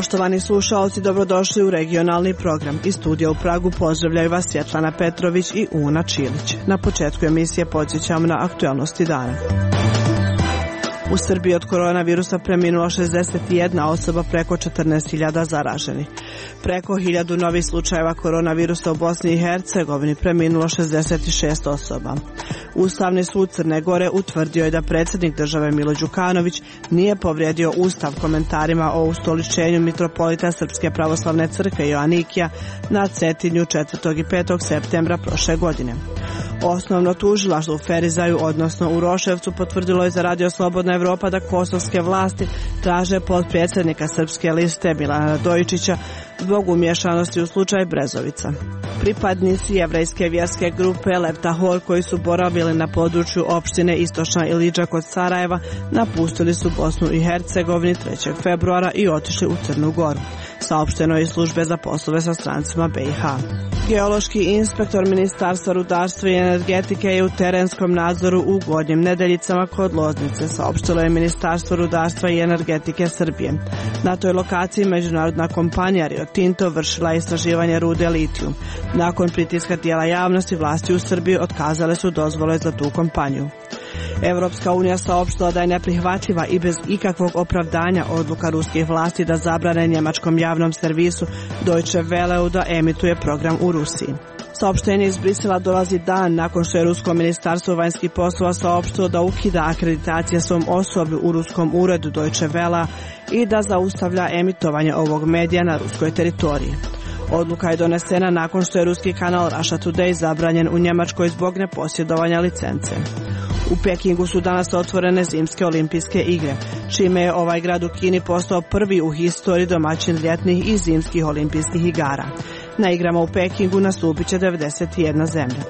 Poštovani slušaoci, dobrodošli u regionalni program. Iz studija u Pragu pozdravljaju vas Svjetlana Petrović i Una Čilić. Na početku emisije podsjećamo na aktualnosti dana. U Srbiji od koronavirusa preminula 61 osoba, preko 14.000 zaraženih. Preko 1000 novih slučajeva koronavirusa u Bosni i Hercegovini, preminulo 66 osoba. Ustavni sud Crne Gore utvrdio je da predsjednik države Milo Đukanović nije povrijedio Ustav komentarima o ustoličenju mitropolita Srpske pravoslavne crkve Joanikija na Cetinju 4. i 5. septembra prošle godine. Osnovno tužilaštvo u Ferizaju, odnosno u Roševcu, potvrdilo je za Radio Slobodna Evropa da kosovske vlasti traže potpredsjednika Srpske liste Milana Radojičića zbog umješanosti u slučaj Brezovica. Pripadnici jevrejske vjerske grupe Leptahor koji su boravili na području opštine Istočna Ilidža kod Sarajeva napustili su Bosnu i Hercegovini 3. februara i otišli u Crnu Goru, saopšteno je iz službe za poslove sa strancima BiH. Geološki inspektor Ministarstva rudarstva i energetike je u terenskom nadzoru u Gornjim Nedeljicama kod Loznice, saopštilo je Ministarstvo rudarstva i energetike Srbije. Na toj lokaciji međunarodna kompanija Rio Tinto vršila istraživanje rude litijum. Nakon pritiska tijela javnosti, vlasti u Srbiji otkazale su dozvole za tu kompaniju. Evropska unija saopštila da je neprihvatljiva i bez ikakvog opravdanja odluka ruskih vlasti da zabrane njemačkom javnom servisu Deutsche Welleu da emituje program u Rusiji. Saopštenje iz Brisela dolazi dan nakon što je Rusko ministarstvo vanjskih poslova saopštilo da ukida akreditacije svom osoblju u ruskom uredu Deutsche Wellea i da zaustavlja emitovanje ovog medija na ruskoj teritoriji. Odluka je donesena nakon što je ruski kanal Russia Today zabranjen u Njemačkoj zbog neposjedovanja licence. U Pekingu su danas otvorene zimske olimpijske igre, čime je ovaj grad u Kini postao prvi u historiji domaćin ljetnih i zimskih olimpijskih igara. Na igrama u Pekingu nastupit će 91 zemlja.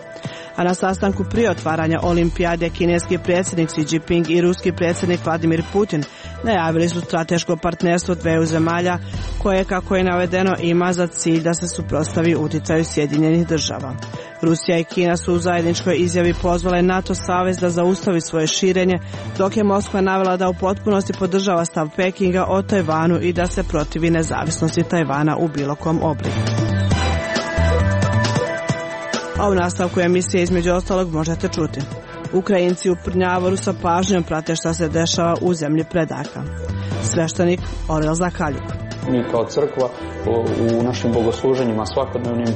A na sastanku prije otvaranja olimpijade kineski predsjednik Xi Jinping i ruski predsjednik Vladimir Putin najavili su strateško partnerstvo dveju zemalja koje, kako je navedeno, ima za cilj da se suprotstavi uticaju Sjedinjenih država. Rusija i Kina su u zajedničkoj izjavi pozvale NATO savez da zaustavi svoje širenje, dok je Moskva navela da u potpunosti podržava stav Pekinga o Tajvanu i da se protivi nezavisnosti Tajvana u bilo kom obliku. A u nastavku emisije između ostalog možete čuti: Ukrajinci u Prnjavoru sa pažnjom prate šta se dešava u zemlji predaka. Sveštenik Orel Zakaljuk. Mi kao crkva u našim bogosluženjima svakodnevnim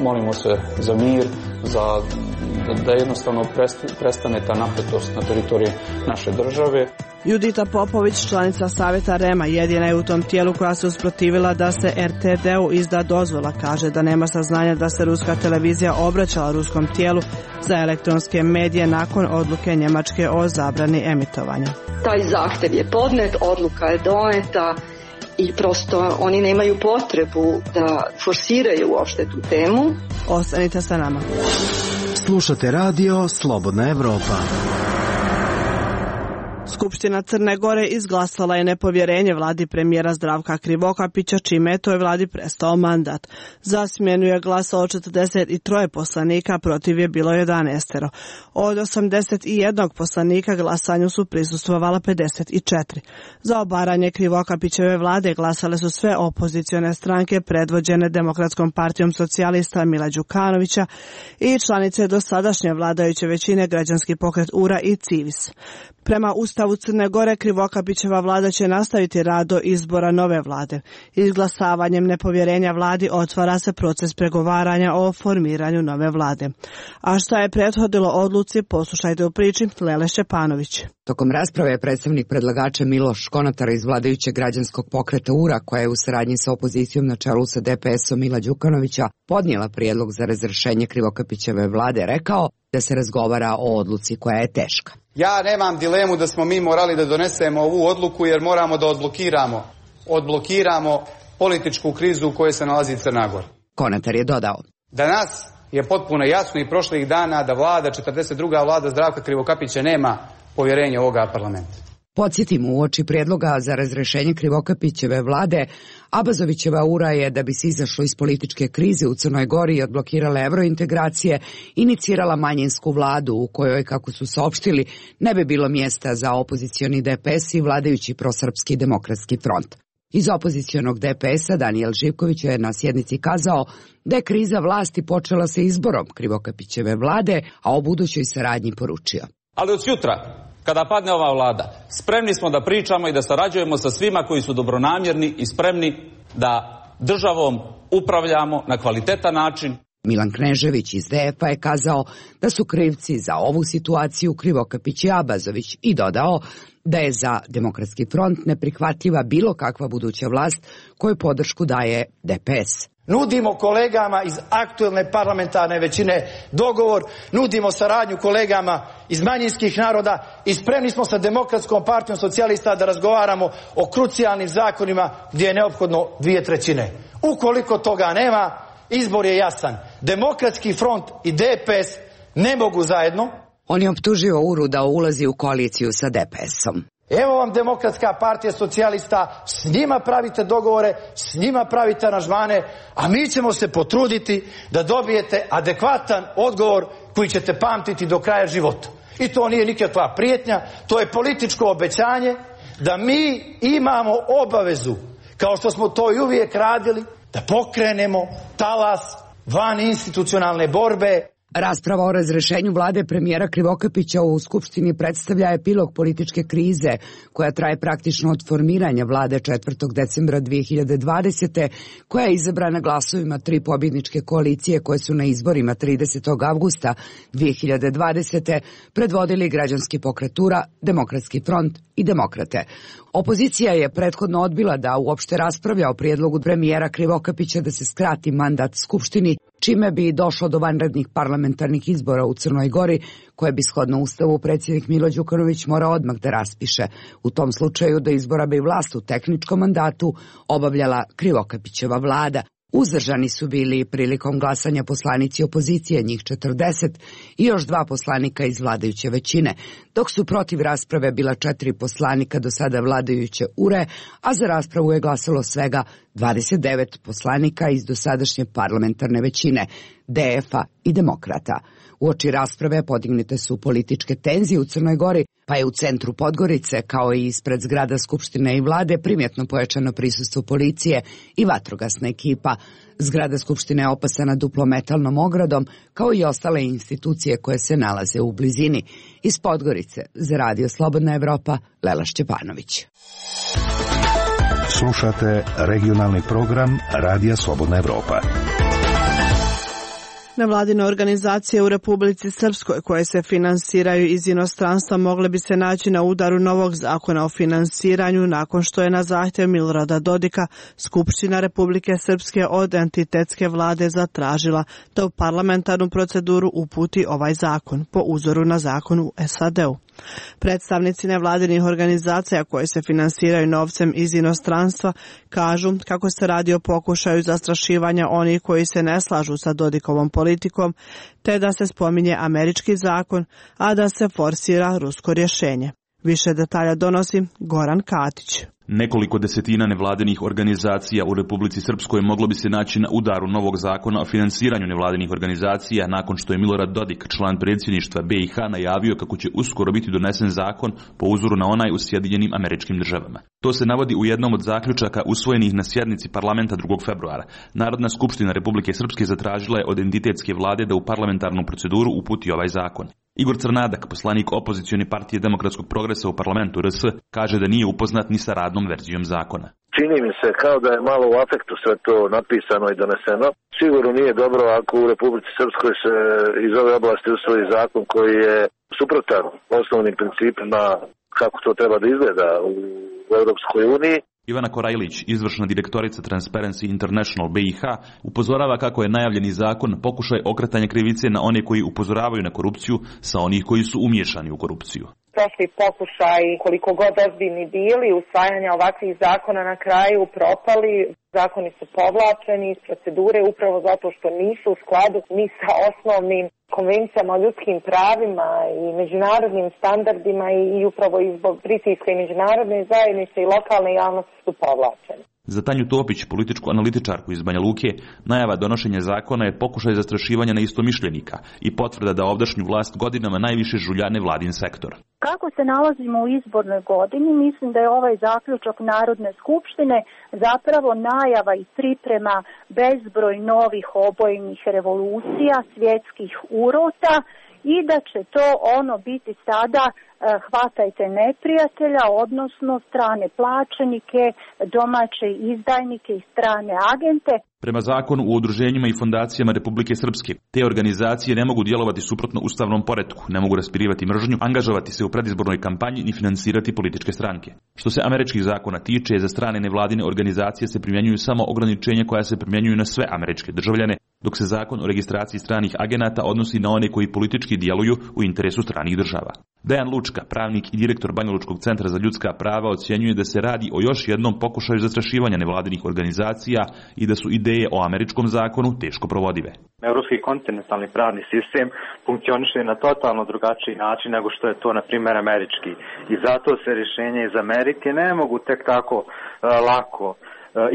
molimo se za mir, da jednostavno prestane ta napetost na teritoriji naše države. Judita Popović, članica Savjeta REM-a, jedina je u tom tijelu koja se usprotivila da se RTD-u izda dozvola. Kaže da nema saznanja da se ruska televizija obraćala ruskom tijelu za elektronske medije nakon odluke Njemačke o zabrani emitovanja. Taj zahtjev je podnet, odluka je doneta i prosto oni nemaju potrebu da forsiraju uopšte tu temu. Ostanite sa nama. Slušate radio Slobodna Evropa. Skupština Crne Gore izglasala je nepovjerenje vladi premijera Zdravka Krivokapića, čime je toj vladi prestao mandat. Za smjenu je glasalo 43 poslanika, protiv je bilo 11. Od 81 poslanika glasanju su prisustvovala 54. Za obaranje Krivokapićeve vlade glasale su sve opozicione stranke predvođene Demokratskom partijom socijalista Mila Đukanovića i članice dosadašnje vladajuće većine Građanski pokret URA i Civis. Prema Ustavu Crne Gore, Krivokapićeva vlada će nastaviti rad do izbora nove vlade. Izglasavanjem nepovjerenja vladi otvara se proces pregovaranja o formiranju nove vlade. A šta je prethodilo odluci, poslušajte u priči Lele Šćepanović. Tokom rasprave je predstavnik predlagača Miloš Konatar iz vladajućeg Građanskog pokreta URA, koja je u saradnji sa opozicijom na čelu sa DPS-om Mila Đukanovića podnijela prijedlog za razrješenje Krivokapićeve vlade, rekao da se razgovara o odluci koja je teška. Ja nemam dilemu da smo mi morali da donesemo ovu odluku jer moramo da odblokiramo političku krizu u kojoj se nalazi Crna Gora. Konatar je dodao: Danas je potpuno jasno i prošlih dana da vlada, 42. vlada Zdravka Krivokapića nema povjerenje ovoga parlamenta. Podsjetimo, uoči prijedloga za razrješenje Krivokapićeve vlade, Abazovićeva URA je, da bi se izašlo iz političke krize u Crnoj Gori i odblokirala evrointegracije, inicirala manjinsku vladu u kojoj, kako su saopštili, ne bi bilo mjesta za opozicioni DPS i vladajući prosrpski demokratski front. Iz opozicionog DPS-a Danijel Živković je na sjednici kazao da je kriza vlasti počela sa izborom Krivokapićeve vlade, a o budućoj saradnji poručio. Ali od jutra, kada padne ova vlada, spremni smo da pričamo i da sarađujemo sa svima koji su dobronamjerni i spremni da državom upravljamo na kvalitetan način. Milan Knežević iz DF-a je kazao da su krivci za ovu situaciju Krivokapić i Abazović i dodao da je za Demokratski front neprihvatljiva bilo kakva buduća vlast kojoj podršku daje DPS. Nudimo kolegama iz aktuelne parlamentarne većine dogovor, nudimo saradnju kolegama iz manjinskih naroda i spremni smo sa Demokratskom partijom socijalista da razgovaramo o krucijalnim zakonima gdje je neophodno 2/3. Ukoliko toga nema, izbor je jasan. Demokratski front i DPS ne mogu zajedno. On je optužio URU da ulazi u koaliciju sa DPS-om. Evo vam Demokratska partija socijalista, s njima pravite dogovore, s njima pravite aranžmane, a mi ćemo se potruditi da dobijete adekvatan odgovor koji ćete pamtiti do kraja života. I to nije nikakva prijetnja, to je političko obećanje da mi imamo obavezu, kao što smo to i uvijek radili, da pokrenemo talas van institucionalne borbe. Rasprava o razrešenju vlade premijera Krivokapića u Skupštini predstavlja epilog političke krize koja traje praktično od formiranja vlade 4. decembra 2020. koja je izabrana glasovima 3 pobjedničke koalicije koje su na izborima 30. avgusta 2020. predvodili Građanski pokret URA, Demokratski front i Demokrate. Opozicija je prethodno odbila da uopšte raspravlja o prijedlogu premijera Krivokapića da se skrati mandat Skupštini, čime bi došlo do vanrednih parlamentarnih izbora u Crnoj Gori, koje bi shodno Ustavu predsjednik Milo Đukanović morao odmah da raspiše. U tom slučaju do izbora bi vlast u tehničkom mandatu obavljala Krivokapićeva vlada. Uzdržani su bili prilikom glasanja poslanici opozicije, njih 40, i još 2 poslanika iz vladajuće većine, dok su protiv rasprave bila 4 poslanika do sada vladajuće URE, a za raspravu je glasalo svega 29 poslanika iz dosadašnje parlamentarne većine, DF-a i Demokrata. Uoči rasprave podignute su političke tenzije u Crnoj Gori, pa je u centru Podgorice, kao i ispred zgrada Skupštine i vlade, primjetno pojačano prisustvo policije i vatrogasna ekipa. Zgrada Skupštine je opasana duplometalnom ogradom, kao i ostale institucije koje se nalaze u blizini. Iz Podgorice, za Radio Slobodna Evropa, Lela Šćepanović. Slušate regionalni program Radija Slobodna Evropa. Nevladine organizacije u Republici Srpskoj koje se finansiraju iz inostranstva mogle bi se naći na udaru novog zakona o finansiranju nakon što je na zahtjev Milorada Dodika Skupština Republike Srpske od entitetske vlade zatražila da u parlamentarnu proceduru uputi ovaj zakon po uzoru na zakon u SAD-u. Predstavnici nevladinih organizacija koje se finansiraju novcem iz inostranstva kažu kako se radi o pokušaju zastrašivanja onih koji se ne slažu sa Dodikovom politikom, te da se spominje američki zakon, a da se forsira rusko rješenje. Više detalja donosi Goran Katić. Nekoliko desetina nevladinih organizacija u Republici Srpskoj moglo bi se naći na udaru novog zakona o finansiranju nevladinih organizacija nakon što je Milorad Dodik, član predsjedništva BiH, najavio kako će uskoro biti donesen zakon po uzoru na onaj u Sjedinjenim Američkim Državama. To se navodi u jednom od zaključaka usvojenih na sjednici parlamenta 2. februara. Narodna skupština Republike Srpske zatražila je od entitetske vlade da u parlamentarnu proceduru uputi ovaj zakon. Igor Crnadak, poslanik opozicione partije Demokratskog progresa u parlamentu RS, kaže da nije upoznat ni sa radnom verzijom zakona. Čini mi se kao da je malo u afektu sve to napisano i doneseno. Sigurno nije dobro ako u Republici Srpskoj se iz ove oblasti usvoji zakon koji je suprotan osnovnim principima kako to treba da izgleda u Europskoj uniji. Ivana Korajlić, izvršna direktorica Transparency International BiH, upozorava kako je najavljeni zakon pokušaj okretanja krivice na one koji upozoravaju na korupciju sa onih koji su umiješani u korupciju. Prošli pokušaj, koliko god ozbiljni bili, usvajanja ovakvih zakona na kraju propali. Zakoni su povlačeni iz procedure upravo zato što nisu u skladu ni sa osnovnim konvencijama o ljudskim pravima i međunarodnim standardima i upravo i zbog pritiska i međunarodne zajednice i lokalne javnosti su povlačeni. Za Tanju Topić, političku analitičarku iz Banja Luke, najava donošenja zakona je pokušaj zastrašivanja neistomišljenika i potvrda da ovdašnju vlast godinama najviše žulja nevladin sektor. Kako se nalazimo u izbornoj godini, mislim da je ovaj zaključak Narodne skupštine zapravo najava i priprema bezbroj novih obojnih revolucija, svjetskih urota i da će to biti sada hvatajte neprijatelja, odnosno strane plaćenike, domaće izdajnike i strane agente. Prema zakonu o udruženjima i fondacijama Republike Srpske, te organizacije ne mogu djelovati suprotno ustavnom poretku, ne mogu raspirivati mržnju, angažovati se u predizbornoj kampanji ni finansirati političke stranke. Što se američkih zakona tiče, za strane nevladine organizacije se primjenjuju samo ograničenja koja se primjenjuju na sve američke državljane, dok se zakon o registraciji stranih agenata odnosi na one koji politički djeluju u interesu stranih država. Dejan Lučka, pravnik i direktor Banjalučkog centra za ljudska prava, ocjenjuje da se radi o još jednom pokušaju zastrašivanja nevladinih organizacija i da su ideje o američkom zakonu teško provodive. Europski kontinentalni pravni sistem funkcioniše na totalno drugačiji način nego što je to, na primjer, američki. I zato se rješenja iz Amerike ne mogu tek tako lako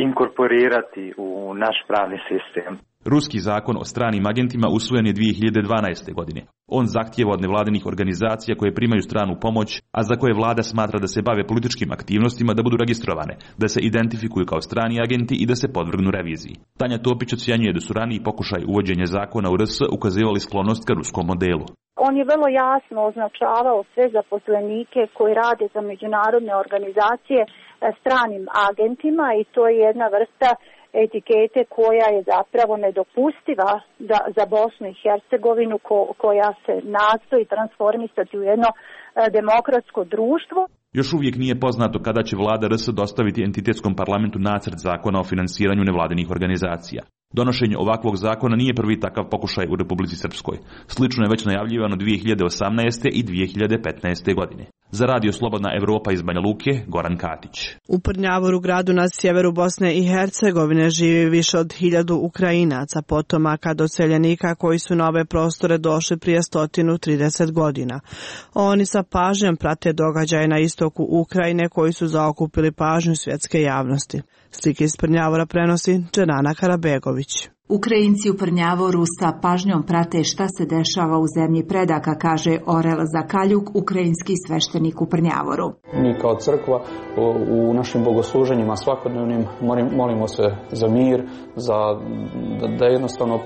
inkorporirati u naš pravni sistem. Ruski zakon o stranim agentima usvojen je 2012. godine. On zahtijeva od nevladinih organizacija koje primaju stranu pomoć, a za koje vlada smatra da se bave političkim aktivnostima, da budu registrovane, da se identifikuju kao strani agenti i da se podvrgnu reviziji. Tanja Topić ocjenjuje da su raniji pokušaj uvođenja zakona u RS ukazivali sklonost ka ruskom modelu. On je vrlo jasno označavao sve zaposlenike koji rade za međunarodne organizacije stranim agentima i to je jedna vrsta etikete koja je zapravo nedopustiva za Bosnu i Hercegovinu koja se nastoji transformisati u jedno demokratsko društvo. Još uvijek nije poznato kada će vlada RS dostaviti entitetskom parlamentu nacrt zakona o finansiranju nevladinih organizacija. Donošenje ovakvog zakona nije prvi takav pokušaj u Republici Srpskoj. Slično je već najavljivano 2018. i 2015. godine. Za Radio Slobodna Evropa iz Banja Luke, Goran Katić. U Prnjavoru, gradu na sjeveru Bosne i Hercegovine, živi više od 1000 Ukrajinaca, potomaka doseljenika koji su na ove prostore došli prije 130 godina. Oni sa pažnjom prate događaje na istoku Ukrajine koji su zaokupili pažnju svjetske javnosti. Slike iz Prnjavora prenosi Dženana Karabegović. Ukrajinci u Prnjavoru sa pažnjom prate šta se dešava u zemlji predaka, kaže Orel Zakaljuk, ukrajinski sveštenik u Prnjavoru. Mi kao crkva u našim bogosluženjima svakodnevnim molimo se za mir, da jednostavno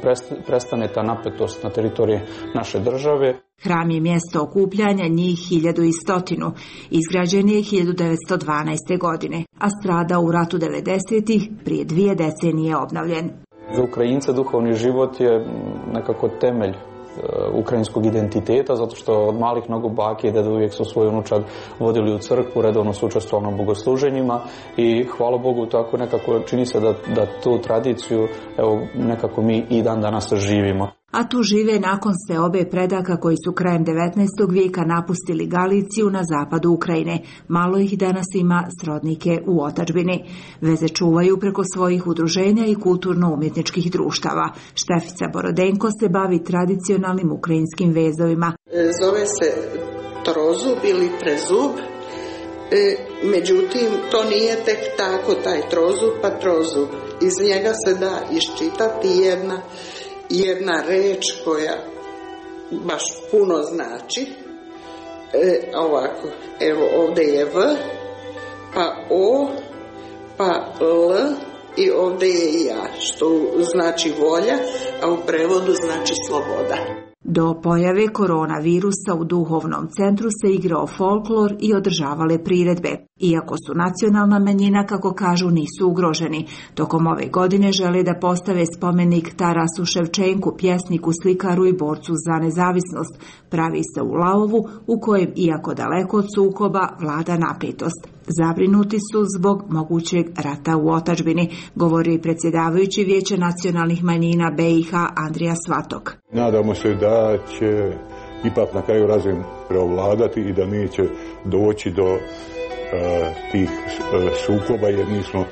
prestane ta napetost na teritoriji naše države. Hram je mjesto okupljanja njih 1100. Izgrađen je 1912. godine, a strada u ratu 90-ih, prije 2 decenije obnovljen. Za Ukrajince duhovni život je nekako temelj ukrajinskog identiteta, zato što od malih nogu bake i deda uvijek su svoju unučad vodili u crkvu, redovno su učestvovali na bogosluženjima i hvala Bogu tako nekako čini se da tu tradiciju nekako mi i dan danas živimo. A tu žive nakon seobe predaka koji su krajem 19. vijeka napustili Galiciju na zapadu Ukrajine. Malo ih danas ima srodnike u otadžbini. Veze čuvaju preko svojih udruženja i kulturno-umjetničkih društava. Štefica Borodenko se bavi tradicionalnim ukrajinskim vezovima. Zove se trozub ili prezub. Međutim, to nije tek tako taj trozub pa trozub. Iz njega se da iščitati jedna reč koja baš puno znači. Ovako, evo ovdje je V, pa O, pa L i ovdje je ja, što znači volja, a u prevodu znači sloboda. Do pojave koronavirusa u duhovnom centru se igrao folklor i održavale priredbe. Iako su nacionalna manjina, kako kažu, nisu ugroženi. Tokom ove godine žele da postave spomenik Tarasu Ševčenku, pjesniku, slikaru i borcu za nezavisnost. Pravi se u Laovu, u kojem, iako daleko od sukoba, vlada napetost. Zabrinuti su zbog mogućeg rata u otadžbini, govori i predsjedavajući Vijeća nacionalnih manjina BiH Andrija Svatok. Nadamo se da će ipak na kraju razum preovladati i da neće doći do tih sukoba, jer mi smo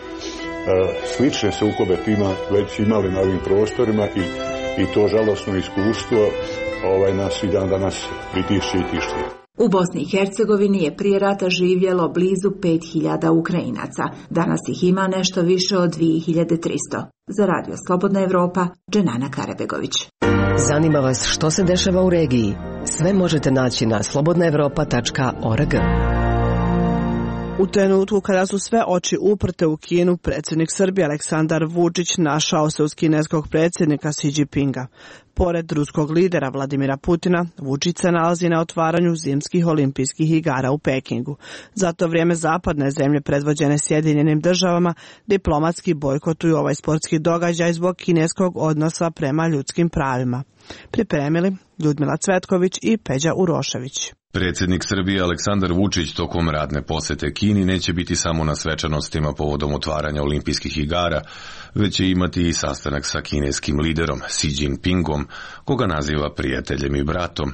slične sukobe tima već imali na ovim prostorima i to žalosno iskustvo nas i dan danas pritišće i tišće. U Bosni i Hercegovini je prije rata živjelo blizu 5000 Ukrajinaca. Danas ih ima nešto više od 2300. Za Radio Slobodna Evropa, Dženana Karabegović. Zanima vas što se dešava u regiji? Sve možete naći na slobodnaevropa.org. U trenutku kada su sve oči uprte u Kinu, predsjednik Srbije Aleksandar Vučić našao se uz kineskog predsjednika Xi Jinpinga. Pored ruskog lidera Vladimira Putina, Vučić se nalazi na otvaranju zimskih olimpijskih igara u Pekingu. Za to vrijeme zapadne zemlje predvođene Sjedinjenim državama diplomatski bojkotuju ovaj sportski događaj zbog kineskog odnosa prema ljudskim pravima. Pripremili Ljudmila Cvetković i Peđa Urošević. Predsjednik Srbije Aleksandar Vučić tokom radne posjete Kini neće biti samo na svečanostima povodom otvaranja olimpijskih igara, već će imati i sastanak sa kineskim liderom Xi Jinpingom, koga naziva prijateljem i bratom.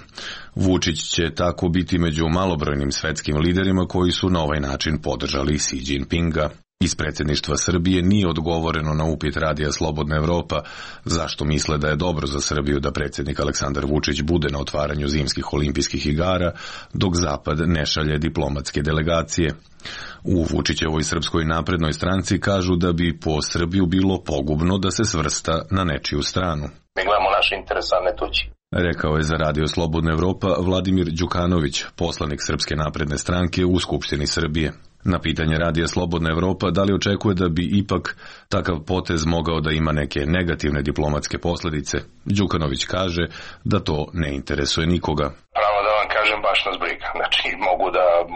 Vučić će tako biti među malobrojnim svetskim liderima koji su na ovaj način podržali Xi Jinpinga. Iz predsjedništva Srbije nije odgovoreno na upit Radija Slobodna Evropa zašto misle da je dobro za Srbiju da predsjednik Aleksandar Vučić bude na otvaranju zimskih olimpijskih igara, dok Zapad ne šalje diplomatske delegacije. U Vučićevoj Srpskoj naprednoj stranci kažu da bi po Srbiju bilo pogubno da se svrsta na nečiju stranu. Mi gledamo naše interese, a ne tuđi. Rekao je za Radio Slobodna Evropa Vladimir Đukanović, poslanik Srpske napredne stranke u Skupštini Srbije. Na pitanje Radija Slobodna Evropa da li očekuje da bi ipak takav potez mogao da ima neke negativne diplomatske posljedice, Đukanović kaže da to ne interesuje nikoga. Pravo da vam kažem, baš nas briga. Znači,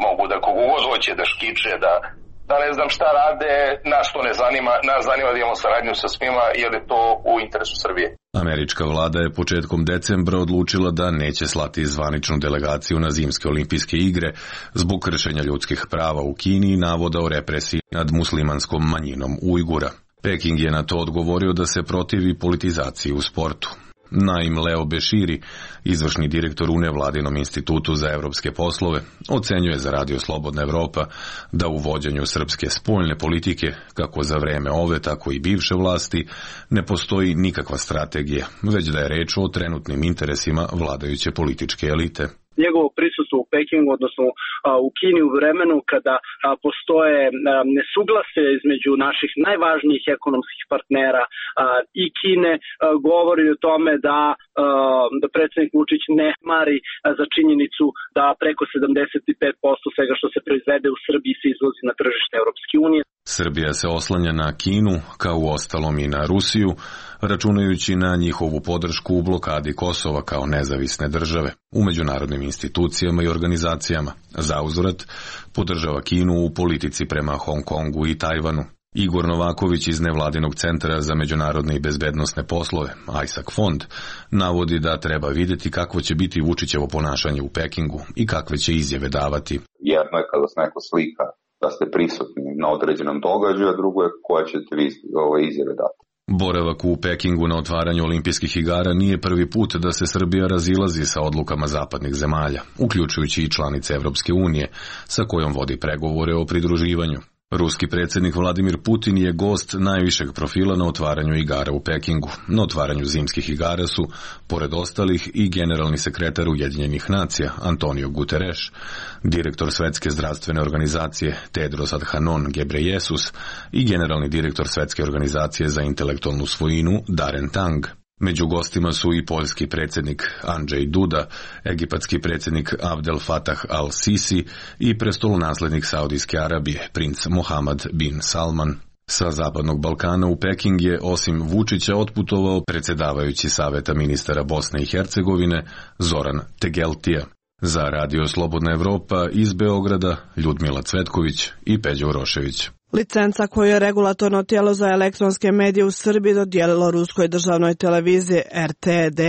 mogu da kogu god hoće da škiče, da ne znam šta rade, nas to ne zanima, nas zanima da imamo saradnju sa svima jer je to u interesu Srbije. Američka vlada je početkom decembra odlučila da neće slati zvaničnu delegaciju na zimske olimpijske igre zbog kršenja ljudskih prava u Kini i navoda o represiji nad muslimanskom manjinom Ujgura. Peking je na to odgovorio da se protivi politizaciji u sportu. Naim Leo Beširi, izvršni direktor u nevladinom institutu za evropske poslove, ocenjuje za Radio Slobodna Evropa da u vođenju srpske spoljne politike, kako za vreme ove, tako i bivše vlasti, ne postoji nikakva strategija, već da je reč o trenutnim interesima vladajuće političke elite. Njegovo prisustvo u Pekingu, odnosno u Kini u vremenu kada postoje nesuglasje između naših najvažnijih ekonomskih partnera i Kine, govori o tome da predsjednik Vučić ne mari za činjenicu da preko 75% svega što se proizvede u Srbiji se izvozi na tržište Europske unije. Srbija se oslanja na Kinu, kao u ostalom i na Rusiju, računajući na njihovu podršku u blokadi Kosova kao nezavisne države u međunarodnim institucijama i organizacijama. Zauzvrat podržava Kinu u politici prema Hong Kongu i Tajvanu. Igor Novaković iz Nevladinog centra za međunarodne i bezbednosne poslove, ISAC fond, navodi da treba vidjeti kakvo će biti Vučićevo ponašanje u Pekingu i kakve će izjave davati. Jedno je kada se neko slika da ste prisutni na određenom događaju, a drugo je koja ćete vi izjave dati. Boravak u Pekingu na otvaranju olimpijskih igara nije prvi put da se Srbija razilazi sa odlukama zapadnih zemalja, uključujući i članice Evropske unije, sa kojom vodi pregovore o pridruživanju. Ruski predsjednik Vladimir Putin je gost najvišeg profila na otvaranju igara u Pekingu. Na otvaranju zimskih igara su, pored ostalih, i generalni sekretar Ujedinjenih nacija Antonio Guterres, direktor Svetske zdravstvene organizacije Tedros Adhanom Ghebreyesus i generalni direktor Svetske organizacije za intelektualnu svojinu Darren Tang. Među gostima su i poljski predsjednik Andrzej Duda, egipatski predsjednik Abdel Fattah al-Sisi i prestolonaslednik Saudijske Arabije, princ Mohammed bin Salman. Sa Zapadnog Balkana u Peking je osim Vučića otputovao predsjedavajući Saveta ministara Bosne i Hercegovine Zoran Tegeltija. Za Radio Slobodna Evropa iz Beograda Ljudmila Cvetković i Peđa Urošević. Licenca koju je regulatorno tijelo za elektronske medije u Srbiji dodijelilo ruskoj državnoj televiziji RTD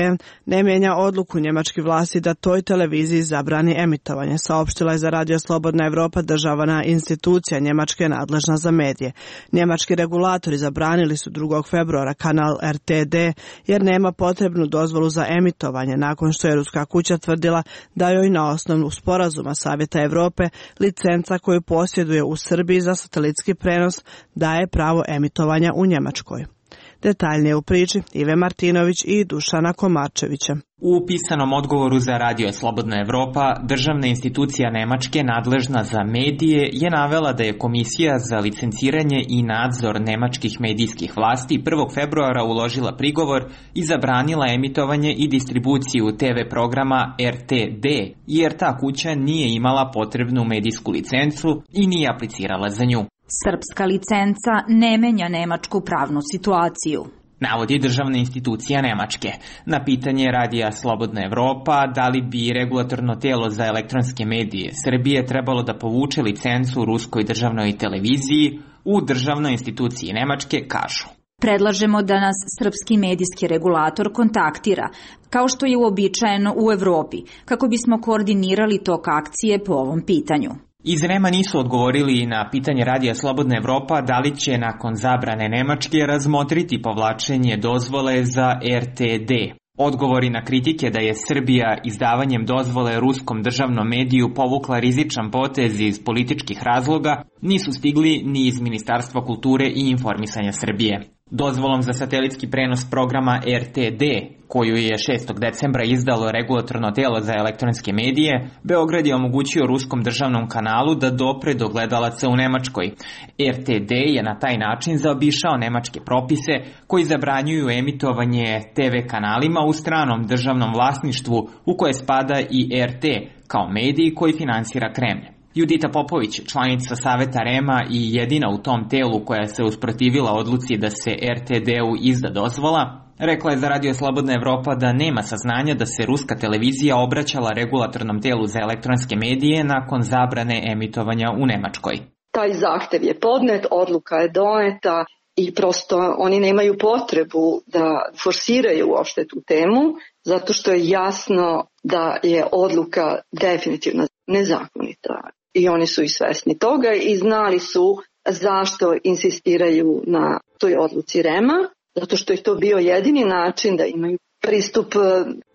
ne mijenja odluku njemačkih vlasti da toj televiziji zabrani emitovanje, saopštila je za Radio Slobodna Evropa državna institucija Njemačke nadležna za medije. Njemački regulatori zabranili su 2. februara kanal RTD jer nema potrebnu dozvolu za emitovanje nakon što je ruska kuća tvrdila da joj na osnovu sporazuma Savjeta Evrope licenca koju posjeduje u Srbiji za satelitski prenos daje pravo emitovanja u Njemačkoj. Detaljnije u priči Ive Martinović i Dušana Komarčevića. U pisanom odgovoru za Radio Slobodna Evropa, državna institucija Nemačke nadležna za medije je navela da je Komisija za licenciranje i nadzor nemačkih medijskih vlasti 1. februara uložila prigovor i zabranila emitovanje i distribuciju TV programa RTD, jer ta kuća nije imala potrebnu medijsku licencu i nije aplicirala za nju. Srpska licenca ne menja nemačku pravnu situaciju, navodi državna institucija Nemačke. Na pitanje Radija Slobodna Evropa da li bi regulatorno telo za elektronske medije Srbije trebalo da povuče licencu ruskoj državnoj televiziji, u državnoj instituciji Nemačke kažu: predlažemo da nas srpski medijski regulator kontaktira, kao što je uobičajeno u Evropi, kako bismo koordinirali tok akcije po ovom pitanju. Iz REM-a nisu odgovorili na pitanje Radija Slobodna Evropa da li će nakon zabrane Nemačke razmotriti povlačenje dozvole za RTD. Odgovori na kritike da je Srbija izdavanjem dozvole ruskom državnom mediju povukla rizičan potez iz političkih razloga nisu stigli ni iz Ministarstva kulture i informisanja Srbije. Dozvolom za satelitski prenos programa RTD, koju je 6. decembra izdalo regulatorno telo za elektronske medije, Beograd je omogućio ruskom državnom kanalu da dopre do gledalaca u Nemačkoj. RTD je na taj način zaobišao nemačke propise koji zabranjuju emitovanje TV kanalima u stranom državnom vlasništvu, u koje spada i RT, kao medij koji finansira Kremlj. Judita Popović, članica Saveta REM-a i jedina u tom telu koja se usprotivila odluci da se RTD-u izda dozvola, rekla je za Radio Slobodna Evropa da nema saznanja da se ruska televizija obraćala regulatornom telu za elektronske medije nakon zabrane emitovanja u Nemačkoj. Taj zahtev je podnet, odluka je doneta i prosto oni nemaju potrebu da forsiraju uopšte tu temu, zato što je jasno da je odluka definitivno nezakonita. I oni su i svesni toga i znali su zašto insistiraju na toj odluci REM-a, zato što je to bio jedini način da imaju pristup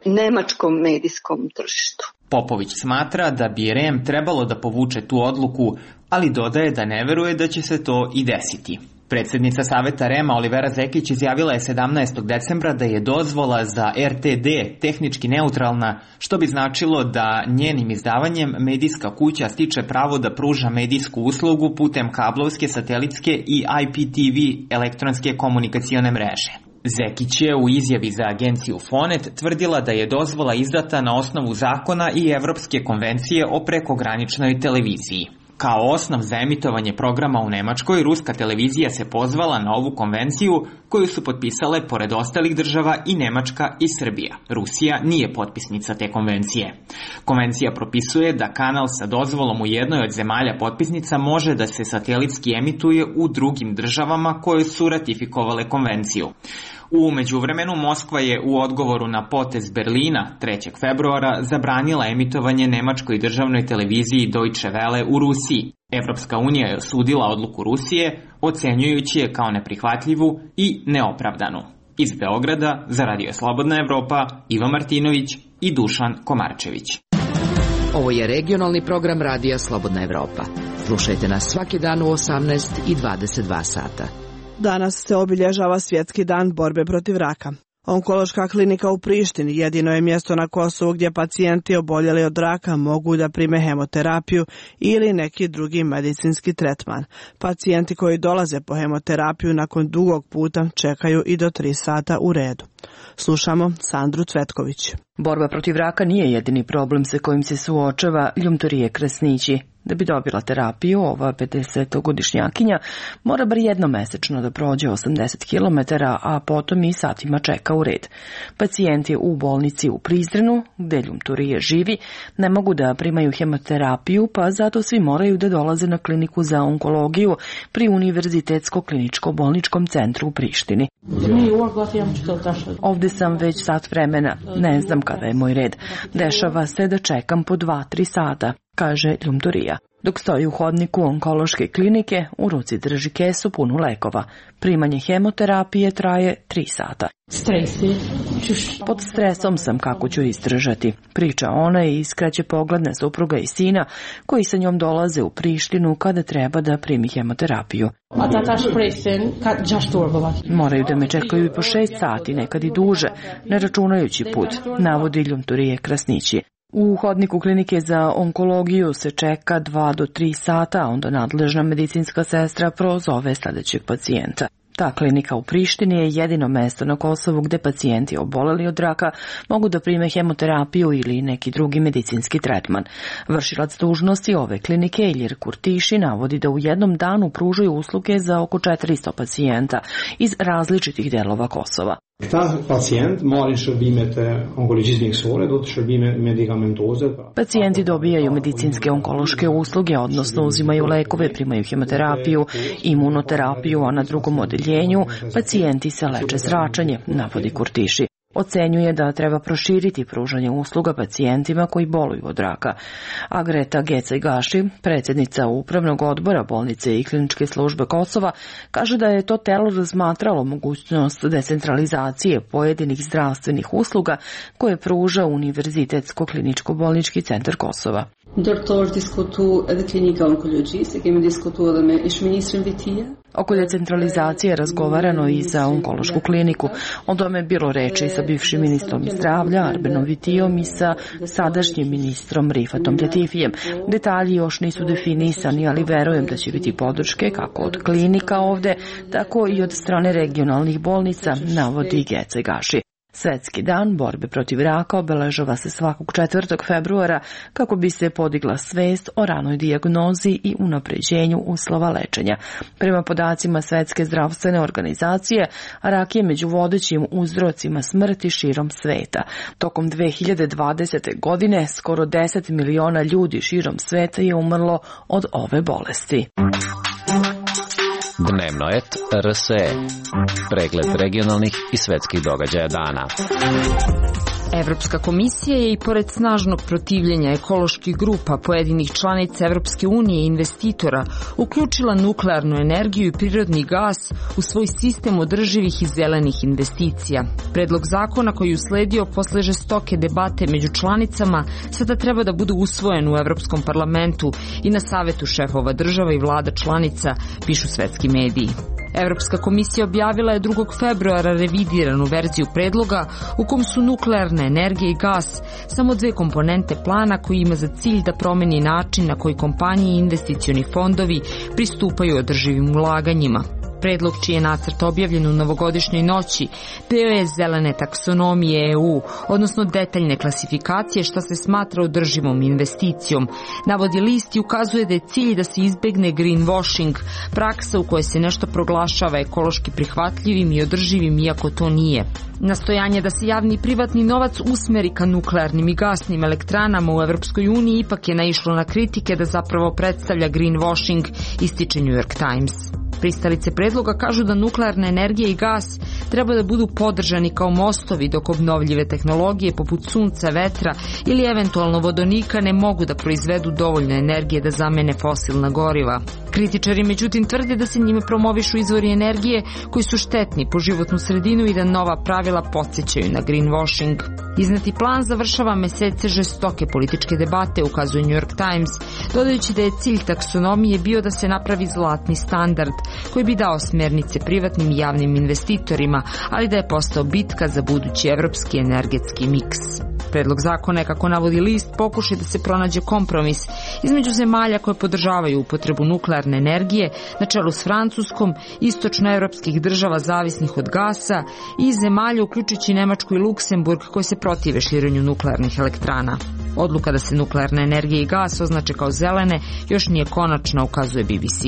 nemačkom medijskom tržištu. Popović smatra da bi REM trebalo da povuče tu odluku, ali dodaje da ne veruje da će se to i desiti. Predsjednica Saveta REM-a Olivera Zekić izjavila je 17. decembra da je dozvola za RTD tehnički neutralna, što bi značilo da njenim izdavanjem medijska kuća stiče pravo da pruža medijsku uslugu putem kablovske, satelitske i IPTV elektronske komunikacione mreže. Zekić je u izjavi za agenciju Fonet tvrdila da je dozvola izdata na osnovu zakona i Evropske konvencije o prekograničnoj televiziji. Kao osnov za emitovanje programa u Nemačkoj, ruska televizija se pozvala na ovu konvenciju koju su potpisale pored ostalih država i Nemačka i Srbija. Rusija nije potpisnica te konvencije. Konvencija propisuje da kanal sa dozvolom u jednoj od zemalja potpisnica može da se satelitski emituje u drugim državama koje su ratifikovale konvenciju. U međuvremenu Moskva je u odgovoru na potez Berlina 3. februara zabranila emitovanje nemačkoj državnoj televiziji Deutsche Welle u Rusiji. Evropska unija je osudila odluku Rusije, ocenjujući je kao neprihvatljivu i neopravdanu. Iz Beograda za Radio Slobodna Evropa, Ivo Martinović i Dušan Komarčević. Ovo je regionalni program Radija Slobodna Evropa. Slušajte nas svaki dan u 18 i 22 sata. Danas se obilježava Svjetski dan borbe protiv raka. Onkološka klinika u Prištini jedino je mjesto na Kosovu gdje pacijenti oboljeli od raka mogu da prime hemoterapiju ili neki drugi medicinski tretman. Pacijenti koji dolaze po hemoterapiju nakon dugog puta čekaju i do 3 sata u redu. Slušamo Sandru Cvetković. Borba protiv raka nije jedini problem sa kojim se suočava Ljumtorije Kresnići. Da bi dobila terapiju, ova 50-godišnjakinja mora bar jednomesečno da prođe 80 km, a potom i satima čeka u red. Pacijent je u bolnici u Prizrenu, gde Ljumtorije živi, ne mogu da primaju hemoterapiju, pa zato svi moraju da dolaze na kliniku za onkologiju pri Univerzitetsko-kliničko-bolničkom centru u Prištini. Ovde sam već sat vremena, ne znam kada je moj red. Dešava se da čekam po 2-3 sata, kaže Ljumtorija. Dok stoji u hodniku onkološke klinike, u ruci drži kesu punu lekova. Primanje hemoterapije traje 3 sata. Pod stresom sam, kako ću izdržati, priča ona i iskreće pogled na supruga i sina koji sa njom dolaze u Prištinu kada treba da primi hemoterapiju. Moraju da me čekaju i po 6 sati, nekad i duže, ne računajući put, navodi Ljumturije Krasnići. U hodniku klinike za onkologiju se čeka 2 do 3 sata, a onda nadležna medicinska sestra prozove sledećeg pacijenta. Ta klinika u Prištini je jedino mesto na Kosovu gde pacijenti oboleli od raka mogu da prime hemoterapiju ili neki drugi medicinski tretman. Vršilac dužnosti ove klinike Ilir Kurtiši navodi da u jednom danu pružaju usluge za oko 400 pacijenta iz različitih delova Kosova. Pacijenti dobijaju medicinske onkološke usluge, odnosno uzimaju lekove, primaju hemoterapiju, imunoterapiju, a na drugom odeljenju pacijenti se leče zračenje, navodi Kurtiši. Ocenjuje da treba proširiti pružanje usluga pacijentima koji boluju od raka. A Greta Gecaj-Gaši, predsjednica Upravnog odbora bolnice i kliničke službe Kosova, kaže da je to telo razmatralo mogućnost decentralizacije pojedinih zdravstvenih usluga koje pruža Univerzitetsko-kliničko-bolnički centar Kosova. Oko decentralizacije razgovarano i za onkološku kliniku. O tome je bilo reči sa bivšim ministrom zdravlja Arbenom Vitijom i sa sadašnjim ministrom Rifatom Latifijem. Detalji još nisu definisani, ali verujem da će biti podrške kako od klinika ovde, tako i od strane regionalnih bolnica, navodi Gecaj-Gaši. Svetski dan borbe protiv raka obeležava se svakog 4. februara kako bi se podigla svest o ranoj dijagnozi i unapređenju uslova lečenja. Prema podacima Svetske zdravstvene organizacije, rak je među vodećim uzrocima smrti širom sveta. Tokom 2020. godine skoro 10 miliona ljudi širom sveta je umrlo od ove bolesti. Dnevno et RSE. Pregled regionalnih i svetskih događaja dana. Evropska komisija je i pored snažnog protivljenja ekoloških grupa pojedinih članica Evropske unije i investitora uključila nuklearnu energiju i prirodni gas u svoj sistem održivih i zelenih investicija. Predlog zakona koji usledio posle žestoke debate među članicama sada treba da bude usvojen u Evropskom parlamentu i na savetu šefova država i vlada članica, pišu svetski mediji. Evropska komisija objavila je 2. februara revidiranu verziju predloga u kom su nuklearna energija i gas samo 2 komponente plana koji ima za cilj da promeni način na koji kompanije i investicioni fondovi pristupaju održivim ulaganjima. Predlog, čiji je nacrt objavljen u novogodišnjoj noći, deo je zelene taksonomije EU, odnosno detaljne klasifikacije šta se smatra održivom investicijom. Navodi list i ukazuje da je cilj da se izbegne greenwashing, praksa u kojoj se nešto proglašava ekološki prihvatljivim i održivim iako to nije. Nastojanje da se javni i privatni novac usmeri ka nuklearnim i gasnim elektranama u Evropskoj uniji ipak je naišlo na kritike da zapravo predstavlja greenwashing, ističe New York Times. Pristalice predloga kažu da nuklearna energija i gas treba da budu podržani kao mostovi dok obnovljive tehnologije poput sunca, vetra ili eventualno vodonika ne mogu da proizvedu dovoljno energije da zamene fosilna goriva. Kritičari međutim tvrde da se njime promovišu izvori energije koji su štetni po životnu sredinu i da nova pravila podsjećaju na greenwashing. Izneti plan završava mesece žestoke političke debate, ukazuje New York Times, dodajući da je cilj taksonomije bio da se napravi zlatni standard koji bi dao smernice privatnim i javnim investitorima, ali da je postao bitka za budući evropski energetski miks. Predlog zakona je, kako navodi list, pokušaj da se pronađe kompromis između zemalja koje podržavaju upotrebu nuklearne energije na čelu s Francuskom, istočnoevropskih država zavisnih od gasa i zemalja uključujući Nemačku i Luksemburg koje se protive širenju nuklearnih elektrana. Odluka da se nuklearna energija i gas označe kao zelene još nije konačna, ukazuje BBC.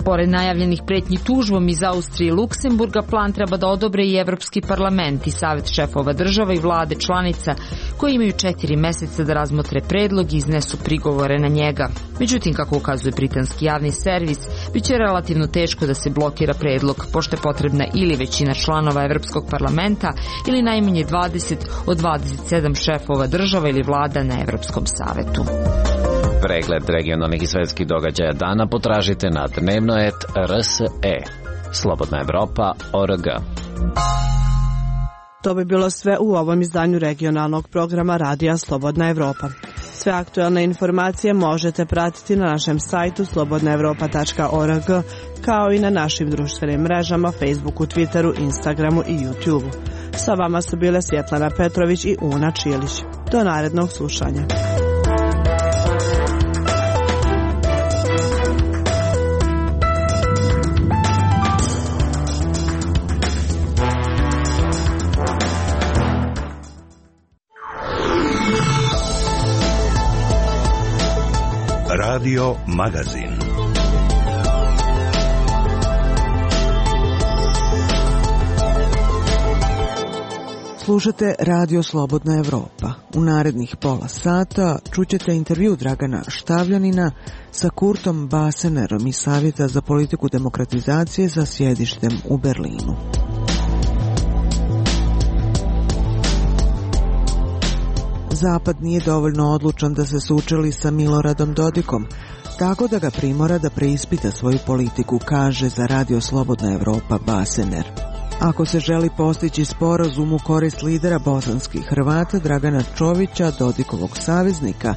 Pored najavljenih pretnji tužbom iz Austrije i Luksemburga, plan treba da odobre i Evropski parlament i savet šefova država i vlade članica koji imaju 4 meseca da razmotre predlog i iznesu prigovore na njega. Međutim, kako ukazuje britanski javni servis, bit će relativno teško da se blokira predlog, pošto je potrebna ili većina članova Evropskog parlamenta ili najmanje 20 od 27 šefova država ili vlada na Evropskom savetu. Pregled regionalnih i svetskih događaja dana potražite na dnevno.rs.e. Slobodna Evropa.org. To bi bilo sve u ovom izdanju regionalnog programa Radija Slobodna Evropa. Sve aktuelne informacije možete pratiti na našem sajtu slobodnaevropa.org, kao i na našim društvenim mrežama Facebooku, Twitteru, Instagramu i YouTubeu. Sa vama su bile Svjetlana Petrović i Una Čilić. Do narednog slušanja. Radio Magazin. Slušate Radio Slobodna Evropa. U narednih pola sata čućete intervju Dragana Štavljanina sa Kurtom Basenerom iz Savjeta za politiku demokratizacije sa sjedištem u Berlinu. Zapad nije dovoljno odlučan da se sučeli sa Miloradom Dodikom, tako da ga primora da preispita svoju politiku, kaže za Radio Slobodna Evropa Basener. Ako se želi postići sporazum u korist lidera bosanskih Hrvata Dragana Čovića, Dodikovog saveznika,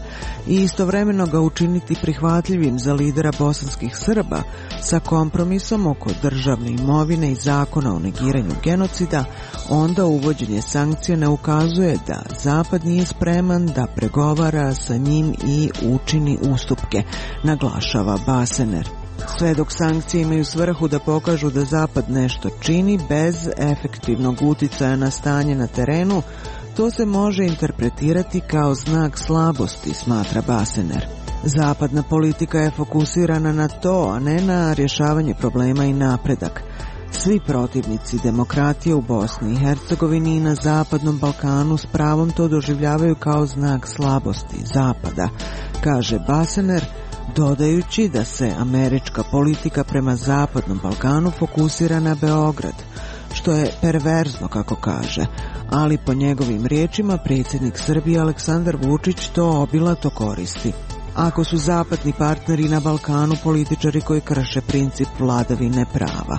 i istovremeno ga učiniti prihvatljivim za lidera bosanskih Srba sa kompromisom oko državne imovine i zakona o negiranju genocida, onda uvođenje sankcija ne ukazuje da Zapad nije spreman da pregovara sa njim i učini ustupke, naglašava Basener. Sve dok sankcije imaju svrhu da pokažu da Zapad nešto čini bez efektivnog uticaja na stanje na terenu, to se može interpretirati kao znak slabosti, smatra Basener. Zapadna politika je fokusirana na to, a ne na rješavanje problema i napredak. Svi protivnici demokratije u Bosni i Hercegovini i na Zapadnom Balkanu s pravom to doživljavaju kao znak slabosti Zapada, kaže Basener, dodajući da se američka politika prema Zapadnom Balkanu fokusira na Beograd, što je perverzno, kako kaže, ali po njegovim riječima predsjednik Srbije Aleksandar Vučić to obilato koristi. Ako su zapadni partneri na Balkanu političari koji krše princip vladavine prava,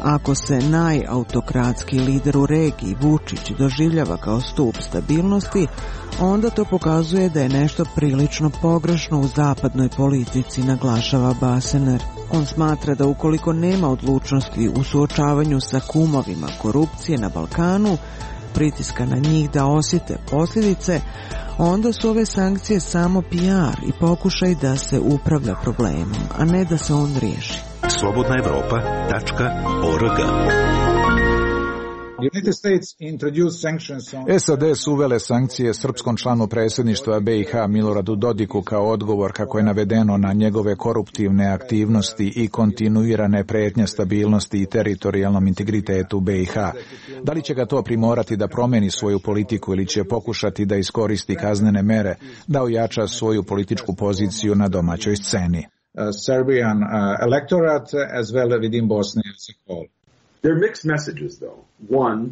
ako se najautokratski lider u regiji Vučić doživljava kao stup stabilnosti, onda to pokazuje da je nešto prilično pogrešno u zapadnoj politici, naglašava Basener. On smatra da ukoliko nema odlučnosti u suočavanju sa kumovima korupcije na Balkanu, pritiska na njih da osjete posljedice, onda su ove sankcije samo PR i pokušaj da se upravlja problemom, a ne da se on riješi. slobodnaevropa.org. SAD su uvele sankcije srpskom članu predsjedništva BiH Miloradu Dodiku kao odgovor, kako je navedeno, na njegove koruptivne aktivnosti i kontinuirane prijetnje stabilnosti i teritorijalnom integritetu BiH. Da li će ga to primorati da promeni svoju politiku ili će pokušati da iskoristi kaznene mere da ojača svoju političku poziciju na domaćoj sceni? Serbian electorate as well within Bosnia as a whole. There are mixed messages, though. One,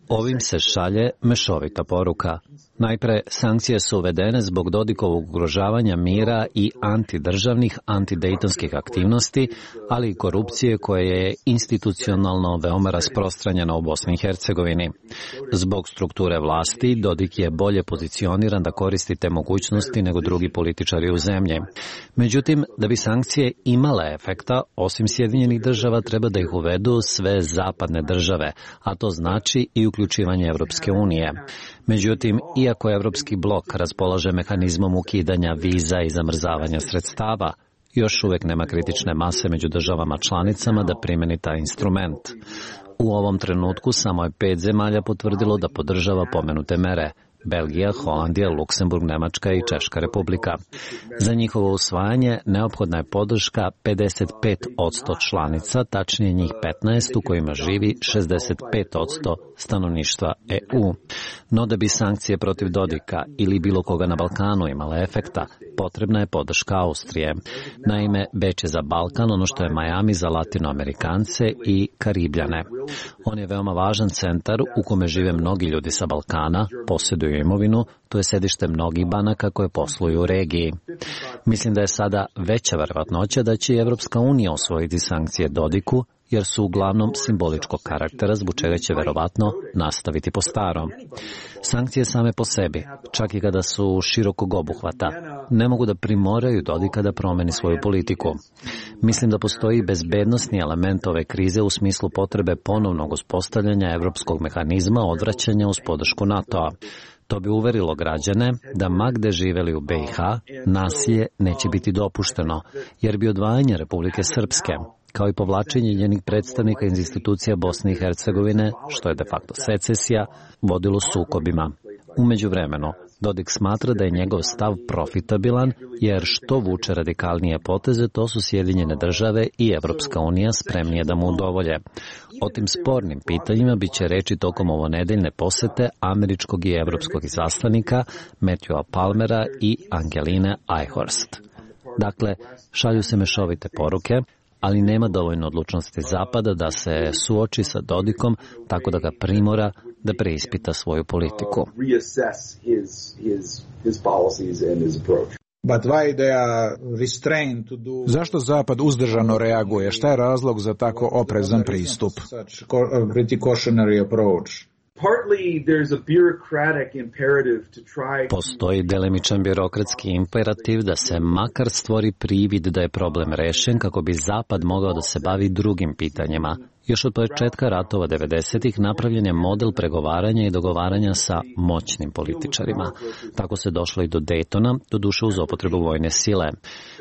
Ovim se šalje mešovita poruka. Najpre, sankcije su uvedene zbog Dodikovog ugrožavanja mira i antidržavnih, antidejtonskih aktivnosti, ali i korupcije koja je institucionalno veoma rasprostranjena u Bosni i Hercegovini. Zbog strukture vlasti, Dodik je bolje pozicioniran da koristi te mogućnosti nego drugi političari u zemlji. Međutim, da bi sankcije imale efekta, osim Sjedinjenih država, treba da ih uvedu sve zapadne države, a to znači i uključivanje Evropske unije. Međutim, iako Evropski blok raspolaže mehanizmom ukidanja viza i zamrzavanja sredstava, još uvijek nema kritične mase među državama članicama da primeni taj instrument. U ovom trenutku samo je 5 zemalja potvrdilo da podržava pomenute mere: Belgija, Holandija, Luksemburg, Nemačka i Češka republika. Za njihovo usvajanje neophodna je podrška 55% članica, tačnije njih 15 u kojima živi 65% stanovništva EU. No da bi sankcije protiv Dodika ili bilo koga na Balkanu imale efekta, potrebna je podrška Austrije. Naime, Beč je za Balkan ono što je Miami za Latinoamerikance i Karibljane. On je veoma važan centar u kome žive mnogi ljudi sa Balkana, posjeduju svoju imovinu, to je sedište mnogih banaka koje posluju u regiji. Mislim da je sada veća verovatnoća da će Evropska unija osvojiti sankcije Dodiku, jer su uglavnom simboličkog karaktera, zbog čega će verovatno nastaviti po starom. Sankcije same po sebi, čak i kada su širokog obuhvata, ne mogu da primoraju Dodika da promeni svoju politiku. Mislim da postoji bezbednosni element ove krize u smislu potrebe ponovnog uspostavljanja evropskog mehanizma odvraćanja uz podršku NATO-a. To bi uverilo građane da ma gde živeli u BiH, nasilje neće biti dopušteno, jer bi odvajanje Republike Srpske, kao i povlačenje njenih predstavnika iz institucija Bosne i Hercegovine, što je de facto secesija, vodilo sukobima. U međuvremenu, Dodik smatra da je njegov stav profitabilan, jer što vuče radikalnije poteze, to su Sjedinjene države i Evropska unija spremnije da mu udovolje. O tim spornim pitanjima biće reči tokom ovonedeljne posete američkog i evropskog izaslanika Matthewa Palmera i Angeline Eichhorst. Dakle, šalju se mešovite poruke, ali nema dovoljno odlučnosti Zapada da se suoči sa Dodikom tako da ga primora da preispita svoju politiku. Zašto Zapad uzdržano reaguje? Šta je razlog za tako oprezan pristup? Postoji delimičan birokratski imperativ da se makar stvori privid da je problem rešen kako bi Zapad mogao da se bavi drugim pitanjima. Još od početka ratova 90-ih napravljen je model pregovaranja i dogovaranja sa moćnim političarima. Tako se došlo i do Daytona, doduše uz upotrebu vojne sile.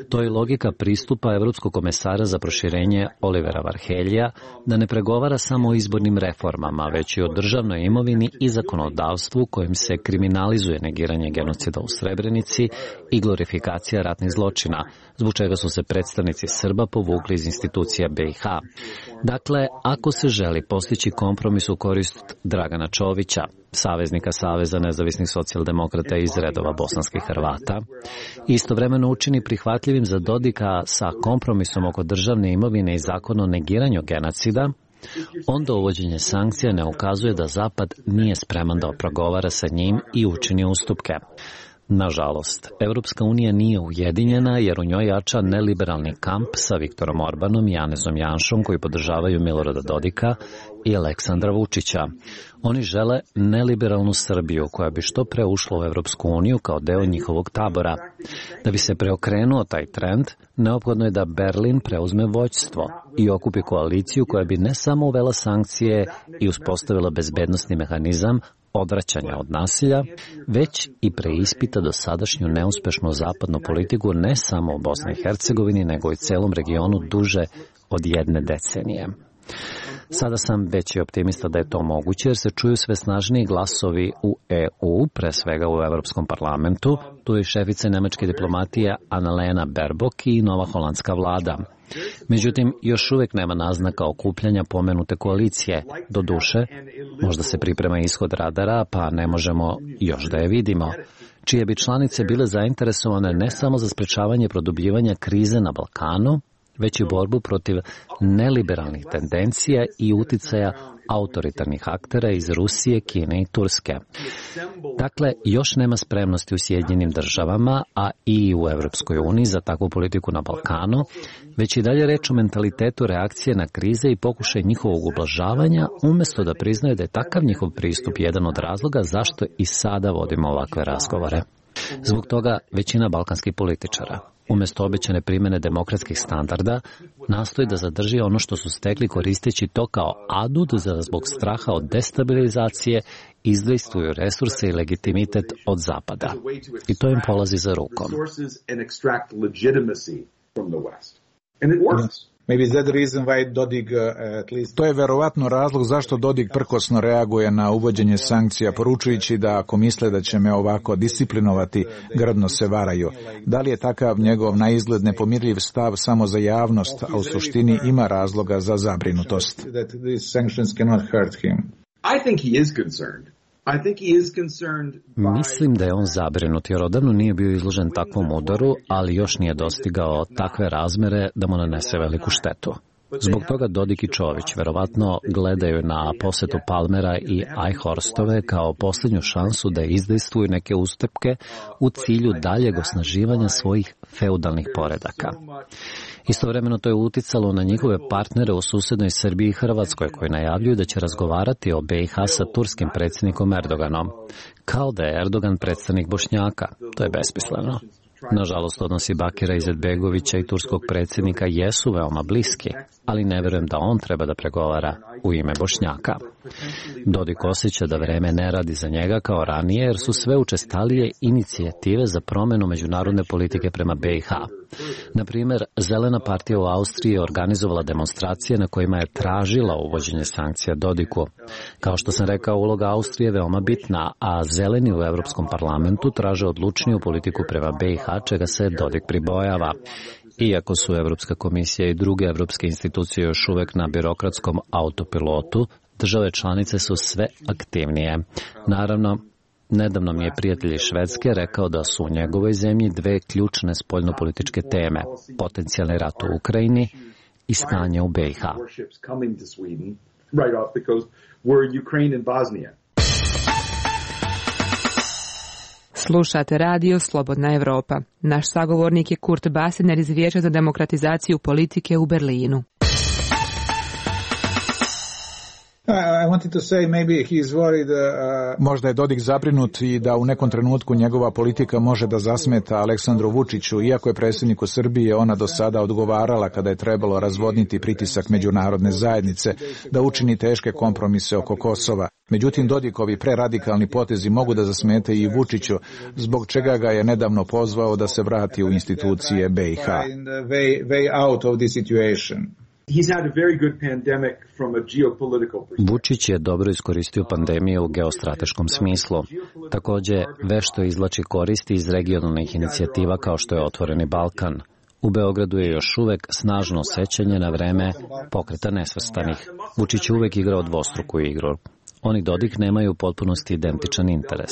To je logika pristupa Evropskog komesara za proširenje Olivera Varheljija, da ne pregovara samo o izbornim reformama, već i o državnoj imovini i zakonodavstvu kojim se kriminalizuje negiranje genocida u Srebrenici i glorifikacija ratnih zločina, zbog čega su se predstavnici Srba povukli iz institucija BiH. Dakle, ako se želi postići kompromis u korist Dragana Čovića, saveznika Saveza nezavisnih socijaldemokrata iz redova bosanskih Hrvata, istovremeno učini prihvatljivim za Dodika sa kompromisom oko državne imovine i zakona o negiranju genocida, onda uvođenje sankcija ne ukazuje da Zapad nije spreman da progovara sa njim i učini ustupke. Nažalost, Evropska unija nije ujedinjena jer u njoj jača neliberalni kamp sa Viktorom Orbanom i Janezom Janšom koji podržavaju Milorada Dodika i Aleksandra Vučića. Oni žele neliberalnu Srbiju koja bi što pre ušla u Evropsku uniju kao deo njihovog tabora. Da bi se preokrenuo taj trend, neophodno je da Berlin preuzme vođstvo i okupi koaliciju koja bi ne samo uvela sankcije i uspostavila bezbednosni mehanizam odvraćanja od nasilja, već i preispita dosadašnju neuspešnu zapadnu politiku ne samo u Bosni i Hercegovini, nego i celom regionu duže od 1 decenije. Sada sam veći optimista da je to moguće, jer se čuju sve snažniji glasovi u EU, pre svega u Evropskom parlamentu. Tu je šefica nemačke diplomatije Annalena Baerbock i nova holandska vlada. Međutim, još uvek nema naznaka okupljanja pomenute koalicije. Doduše, možda se priprema ishod radara, pa ne možemo još da je vidimo, čije bi članice bile zainteresovane ne samo za sprečavanje produbljivanja krize na Balkanu, već i borbu protiv neliberalnih tendencija i uticaja autoritarnih aktera iz Rusije, Kine i Turske. Dakle, još nema spremnosti u Sjedinjenim državama, a i u Evropskoj uniji za takvu politiku na Balkanu, već i dalje reč o mentalitetu reakcije na krize i pokušaj njihovog ublažavanja, umesto da priznaju da je takav njihov pristup jedan od razloga zašto i sada vodimo ovakve razgovore. Zbog toga većina balkanskih političara, umesto obećane primene demokratskih standarda, nastoji da zadrži ono što su stekli koristeći to kao adut za zbog straha od destabilizacije, izdejstvuju resurse i legitimitet od Zapada. I to im polazi za rukom. To je verovatno razlog zašto Dodik prkosno reaguje na uvođenje sankcija, poručujući da ako misle da će me ovako disciplinovati, grdno se varaju. Da li je takav njegov na izgled nepomirljiv stav samo za javnost, a u suštini ima razloga za zabrinutost? Mislim da je on zabrinut jer odavno nije bio izložen takvom udaru, ali još nije dostigao takve razmere da mu nanese veliku štetu. Zbog toga Dodik i Čović verovatno gledaju na posetu Palmera i Eichhorstove kao posljednju šansu da izdejstvuju neke ustupke u cilju daljeg osnaživanja svojih feudalnih poredaka. Istovremeno to je uticalo na njihove partnere u susednoj Srbiji i Hrvatskoj, koji najavljuju da će razgovarati o BiH sa turskim predsjednikom Erdoganom, kao da je Erdogan predstavnik Bošnjaka. To je besmisleno. Nažalost, odnosi Bakira Izetbegovića i turskog predsjednika jesu veoma bliski, ali ne verujem da on treba da pregovara u ime Bošnjaka. Dodik osjeća da vreme ne radi za njega kao ranije, jer su sve učestalije inicijative za promjenu međunarodne politike prema BiH. Na primjer, Zelena partija u Austriji je organizovala demonstracije na kojima je tražila uvođenje sankcija Dodiku. Kao što sam rekao, uloga Austrije je veoma bitna, a Zeleni u Evropskom parlamentu traže odlučniju politiku prema BiH, čega se Dodik pribojava. Iako su Evropska komisija i druge evropske institucije još uvek na birokratskom autopilotu, države članice su sve aktivnije. Naravno, nedavno mi je prijatelj iz Švedske rekao da su u njegovoj zemlji dve ključne spoljnopolitičke teme: potencijalni rat u Ukrajini i stanje u BiH. Slušate radio Slobodna Evropa. Naš sagovornik je Kurt Basener iz Vijeća za demokratizaciju politike u Berlinu. Možda je Dodik zabrinut i da u nekom trenutku njegova politika može da zasmeta Aleksandru Vučiću, iako je predsjedniku Srbije ona do sada odgovarala kada je trebalo razvodniti pritisak međunarodne zajednice da učini teške kompromise oko Kosova. Međutim, Dodikovi preradikalni potezi mogu da zasmete i Vučiću, zbog čega ga je nedavno pozvao da se vrati u institucije BiH. Vučić je dobro iskoristio pandemiju u geostrateškom smislu. Također, vešto izvlači koristi iz regionalnih inicijativa kao što je Otvoreni Balkan. U Beogradu je još uvek snažno sećanje na vreme Pokreta nesvrstanih. Vučić je uvek igrao dvostruku igru. On i Dodik nemaju u potpunosti identičan interes.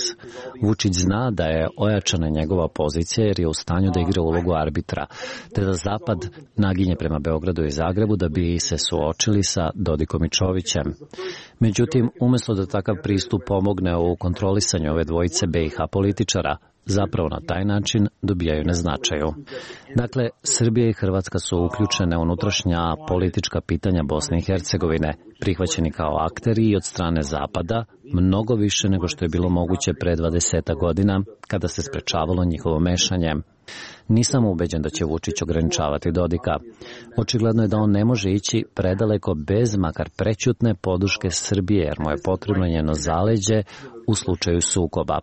Vučić zna da je ojačana njegova pozicija jer je u stanju da igra ulogu arbitra, te da Zapad naginje prema Beogradu i Zagrebu da bi se suočili sa Dodikom i Čovićem. Međutim, umjesto da takav pristup pomogne u kontrolisanju ove dvojice BiH političara, zapravo na taj način dobijaju na značaju. Dakle, Srbija i Hrvatska su uključene u unutrašnja politička pitanja Bosne i Hercegovine, prihvaćeni kao akteri i od strane Zapada, mnogo više nego što je bilo moguće pre 20 godina, kada se sprečavalo njihovo mešanje. Nisam ubeđen da će Vučić ograničavati Dodika. Očigledno je da on ne može ići predaleko bez makar prećutne podrške Srbije, jer mu je potrebno njeno zaleđe u slučaju sukoba.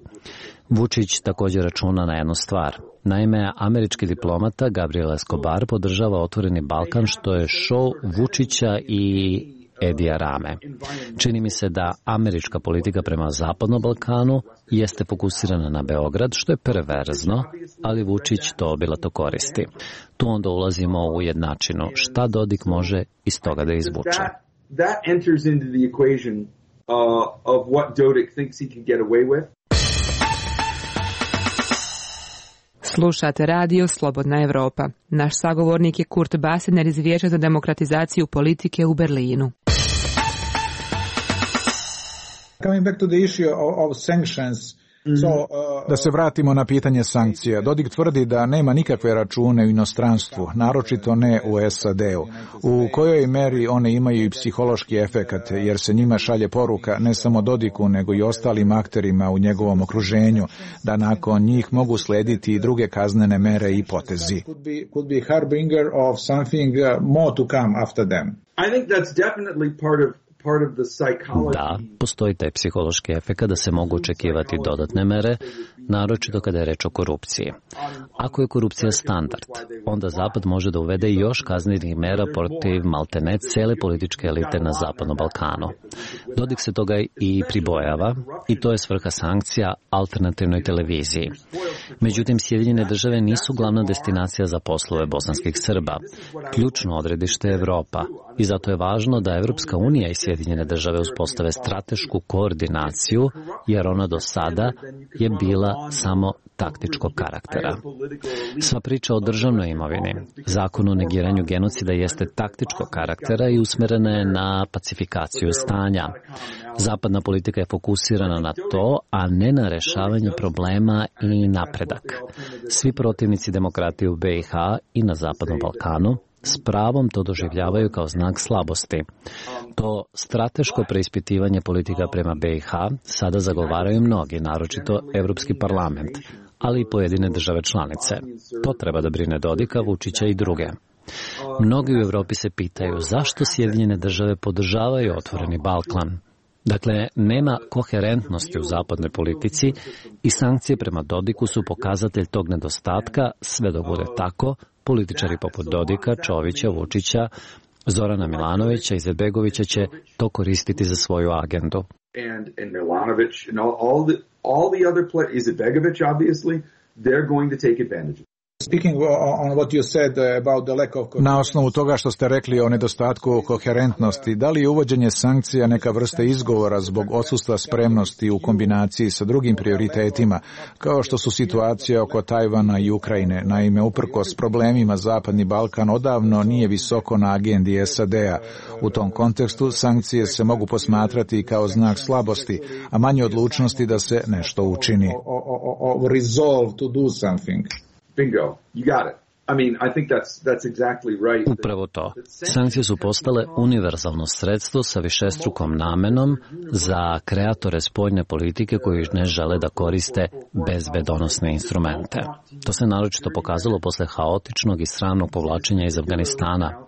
Vučić također računa na jednu stvar. Naime, američki diplomata Gabriel Escobar podržava Otvoreni Balkan, što je šou Vučića i Edija Rame. Čini mi se da američka politika prema Zapadnom Balkanu jeste fokusirana na Beograd, što je perverzno, ali Vučić to obilato koristi. Tu onda ulazimo u jednačinu. Šta Dodik može iz toga da izvuče? That enters into the equation of what Dodik thinks he can get away with. Slušate radio Slobodna Evropa. Naš sagovornik je Kurt Basener iz Vijeća za demokratizaciju politike u Berlinu. Coming back to the issue of sanctions. Da se vratimo na pitanje sankcija. Dodik tvrdi da nema nikakve račune u inostranstvu, naročito ne u SAD-u. U kojoj meri one imaju i psihološki efekat, jer se njima šalje poruka ne samo Dodiku, nego i ostalim akterima u njegovom okruženju, da nakon njih mogu slediti i druge kaznene mere i potezi. Could be harbinger of something more to come after them. I think that's definitely part of Da, postoji taj psihološki efekt da se mogu očekivati dodatne mere, naročito kada je reč o korupciji. Ako je korupcija standard, onda Zapad može da uvede još kaznenih mera protiv maltene cele političke elite na Zapadnom Balkanu. Dodik se toga i pribojava i to je svrha sankcija alternativnoj televiziji. Međutim, Sjedinjene države nisu glavna destinacija za poslove bosanskih Srba. Ključno odredište je Evropa i zato je važno da Evropska unija i Sjedinjene države uspostave stratešku koordinaciju, jer ona do sada je bila samo taktičkog karaktera. Sva priča o državnoj imovini, zakon o negiranju genocida jeste taktičkog karaktera i usmerena je na pacifikaciju stanja. Zapadna politika je fokusirana na to, a ne na rešavanje problema i napredak. Svi protivnici demokratije u BiH i na Zapadnom Balkanu s pravom to doživljavaju kao znak slabosti. To strateško preispitivanje politika prema BiH sada zagovaraju mnogi, naročito Evropski parlament, ali i pojedine države članice. To treba da brine Dodika, Vučića i druge. Mnogi u Evropi se pitaju zašto Sjedinjene države podržavaju otvoreni Balkan. Dakle, nema koherentnosti u zapadnoj politici i sankcije prema Dodiku su pokazatelj tog nedostatka. Sve dok bude tako, političari poput Dodika, Čovića, Vučića, Zorana Milanovića i Izetbegovića će to koristiti za svoju agendu. And Milanović and all the other players, Izetbegović obviously, they're going to take advantage. Na osnovu toga što ste rekli o nedostatku koherentnosti, da li je uvođenje sankcija neka vrsta izgovora zbog odsustva spremnosti u kombinaciji sa drugim prioritetima, kao što su situacija oko Tajvana i Ukrajine? Naime, uprkos problemima Zapadni Balkan odavno nije visoko na agendi SAD-a. U tom kontekstu sankcije se mogu posmatrati kao znak slabosti, a manje odlučnosti da se nešto učini. Resolve to do something. Bingo, you got it. I mean, I think that's exactly right. Upravo to. Sankcije su postale univerzalno sredstvo sa višestrukom namenom za kreatore spoljne politike koji ne žele da koriste bezbedonosne instrumente. To se naročito pokazalo posle haotičnog i sramnog povlačenja iz Afganistana.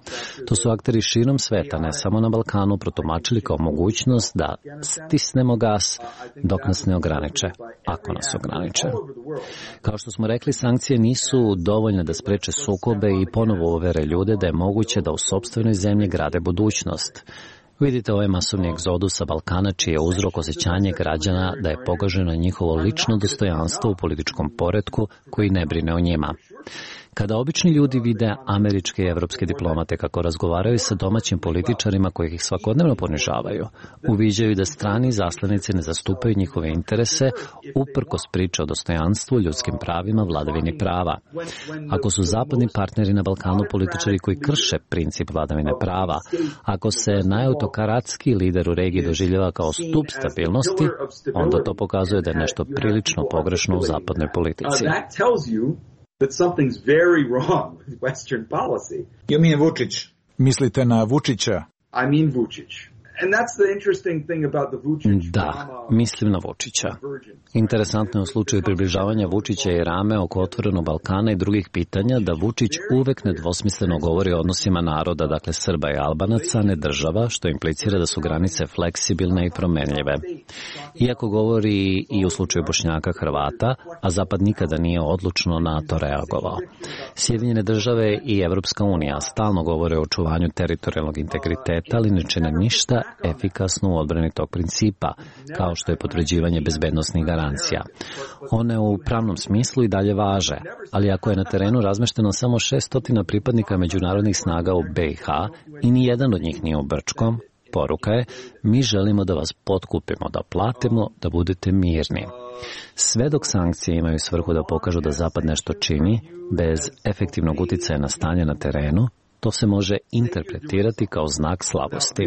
To su akteri širom sveta, ne samo na Balkanu, protumačili kao mogućnost da stisnemo gas dok nas ne ograniče, ako nas ograniče. Kao što smo rekli, sankcije nisu dovoljne da spreče sukobe i ponovo uvere ljude da je moguće da u sopstvenoj zemlji grade budućnost. Vidite ovaj masovni egzodus sa Balkana, čiji je uzrok osjećanje građana da je pogaženo njihovo lično dostojanstvo u političkom poretku koji ne brine o njima. Kada obični ljudi vide američke i evropske diplomate kako razgovaraju sa domaćim političarima koji ih svakodnevno ponižavaju, uviđaju da strani zaslanici ne zastupaju njihove interese uprkos priče o dostojanstvu, ljudskim pravima, vladavini prava. Ako su zapadni partneri na Balkanu političari koji krše princip vladavine prava, ako se najautokratski lider u regiji doživljava kao stub stabilnosti, onda to pokazuje da je nešto prilično pogrešno u zapadnoj politici. That something's very wrong with Western policy. You mean Vučić? Mislite na Vučića? I mean Vučić. And that's the interesting thing about the Vučić. Da, mislim na Vučića. Interesantno je u slučaju približavanja Vučića i Rame oko otvorenog Balkana i drugih pitanja da Vučić uvek nedvosmisleno govori o odnosima naroda, dakle Srba i Albanaca, ne država, što implicira da su granice fleksibilne i promenljive. Iako govori i u slučaju Bošnjaka, Hrvata, a Zapad nikada nije odlučno na to reagovao. Sjedinjene države i Evropska unija stalno govore o očuvanju teritorijalnog integriteta, ali ne čine ništa efikasno u odbrani tog principa, kao što je potvrđivanje bezbednosnih garancija. One u pravnom smislu i dalje važe, ali ako je na terenu razmešteno samo 600 pripadnika međunarodnih snaga u BiH i ni jedan od njih nije u Brčkom, poruka je, mi želimo da vas potkupimo, da platimo, da budete mirni. Sve dok sankcije imaju svrhu da pokažu da Zapad nešto čini, bez efektivnog uticaja na stanje na terenu, to se može interpretirati kao znak slabosti.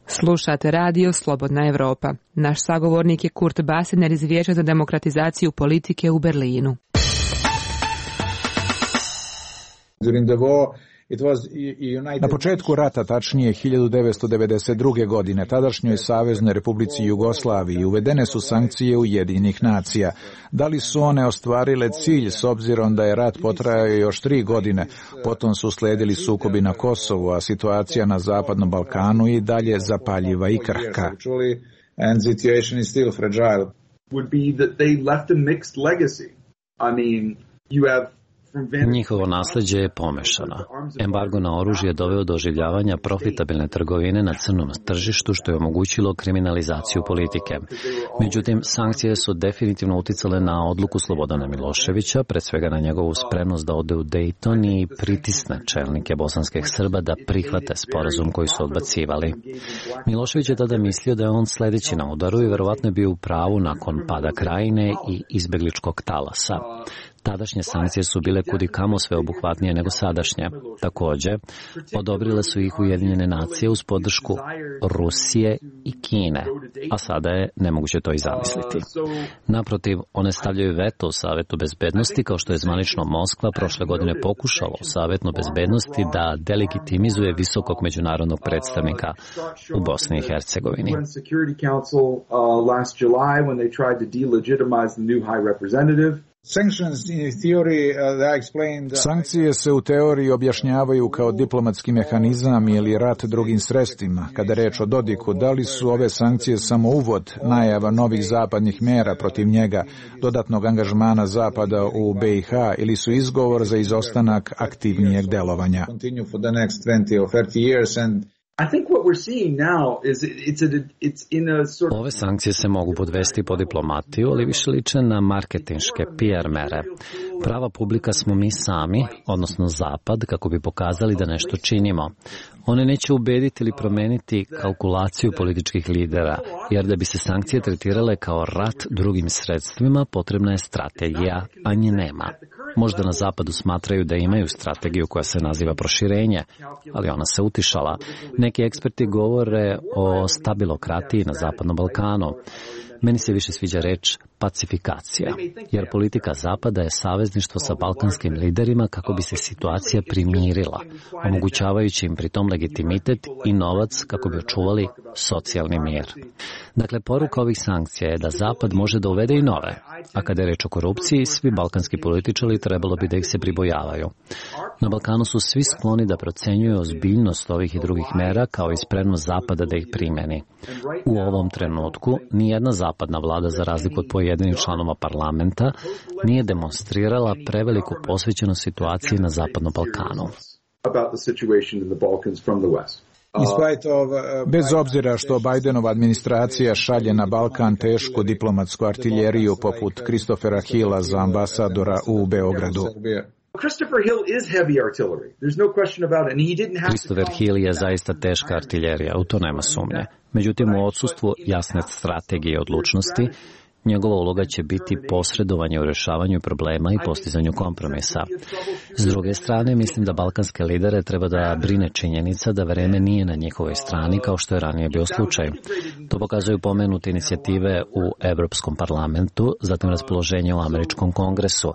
Slušate radio Slobodna Evropa. Naš sagovornik je Kurt Basener iz Vijeća za demokratizaciju politike u Berlinu. Na početku rata, tačnije 1992. godine, tadašnjoj Saveznoj Republici Jugoslaviji uvedene su sankcije Ujedinjenih nacija. Da li su one ostvarile cilj s obzirom da je rat potrajao još 3 godine, potom su sledili sukobi na Kosovu, a situacija na Zapadnom Balkanu i dalje zapaljiva i krhka. And situation is still fragile. Would be that they left a mixed legacy. I mean, you have Njihovo nasleđe je pomešano. Embargo na oružje doveo do oživljavanja profitabilne trgovine na crnom tržištu, što je omogućilo kriminalizaciju politike. Međutim, sankcije su definitivno uticale na odluku Slobodana Miloševića, pre svega na njegovu spremnost da ode u Dejton i pritisne čelnike bosanskih Srba da prihvate sporazum koji su odbacivali. Milošević je tada mislio da je on sledeći na udaru i verovatno je bio u pravu nakon pada Krajine i izbegličkog talasa. Tadašnje sankcije su bile kudikamo sveobuhvatnije nego sadašnje. Takođe, odobrile su ih Ujedinjene nacije uz podršku Rusije i Kine, a sada je nemoguće to i zamisliti. Naprotiv, one stavljaju veto u Savetu bezbednosti, kao što je zvanično Moskva prošle godine pokušala u Savetu bezbednosti da delegitimizuje visokog međunarodnog predstavnika u Bosni i Hercegovini. Sankcije se u teoriji objašnjavaju kao diplomatski mehanizam ili rat drugim sredstvima. Kada je reč o Dodiku, da li su ove sankcije samo uvod, najava novih zapadnih mera protiv njega, dodatnog angažmana Zapada u BiH ili su izgovor za izostanak aktivnijeg delovanja? Ove sankcije se mogu podvesti po diplomatiju, ali više liče na marketinške PR mere. Prava publika smo mi sami, odnosno Zapad, kako bi pokazali da nešto činimo. One neće ubediti ili promeniti kalkulaciju političkih lidera, jer da bi se sankcije tretirale kao rat drugim sredstvima, potrebna je strategija, a nje nema. Možda na Zapadu smatraju da imaju strategiju koja se naziva proširenje, ali ona se utišala. Neki eksperti govore o stabilokratiji na Zapadnom Balkanu. Meni se više sviđa reč pacifikacija, jer politika Zapada je savezništvo sa balkanskim liderima kako bi se situacija primirila, omogućavajući im pritom legitimitet i novac kako bi očuvali socijalni mir. Dakle, poruka ovih sankcija je da Zapad može da uvede i nove, a kada je reč o korupciji, svi balkanski političari trebalo bi da ih se pribojavaju. Na Balkanu su svi skloni da procenjuju ozbiljnost ovih i drugih mera kao i spremnost Zapada da ih primeni. U ovom trenutku nijedna zapadna vlada, za razliku od pojedinih članova parlamenta, nije demonstrirala preveliku posvećenost situaciji na Zapadnom Balkanu. Bez obzira što Bajdenova administracija šalje na Balkan tešku diplomatsku artiljeriju poput Christophera Hilla za ambasadora u Beogradu. Christopher Hill je zaista teška artiljerija, u to nema sumnje. Međutim, u odsustvu jasne strategije i odlučnosti, njegova uloga će biti posredovanje u rešavanju problema i postizanju kompromisa. S druge strane, mislim da balkanske lidere treba da brine činjenica da vreme nije na njihovoj strani kao što je ranije bio slučaj. To pokazuju pomenute inicijative u Evropskom parlamentu, zatim raspoloženje u Američkom kongresu.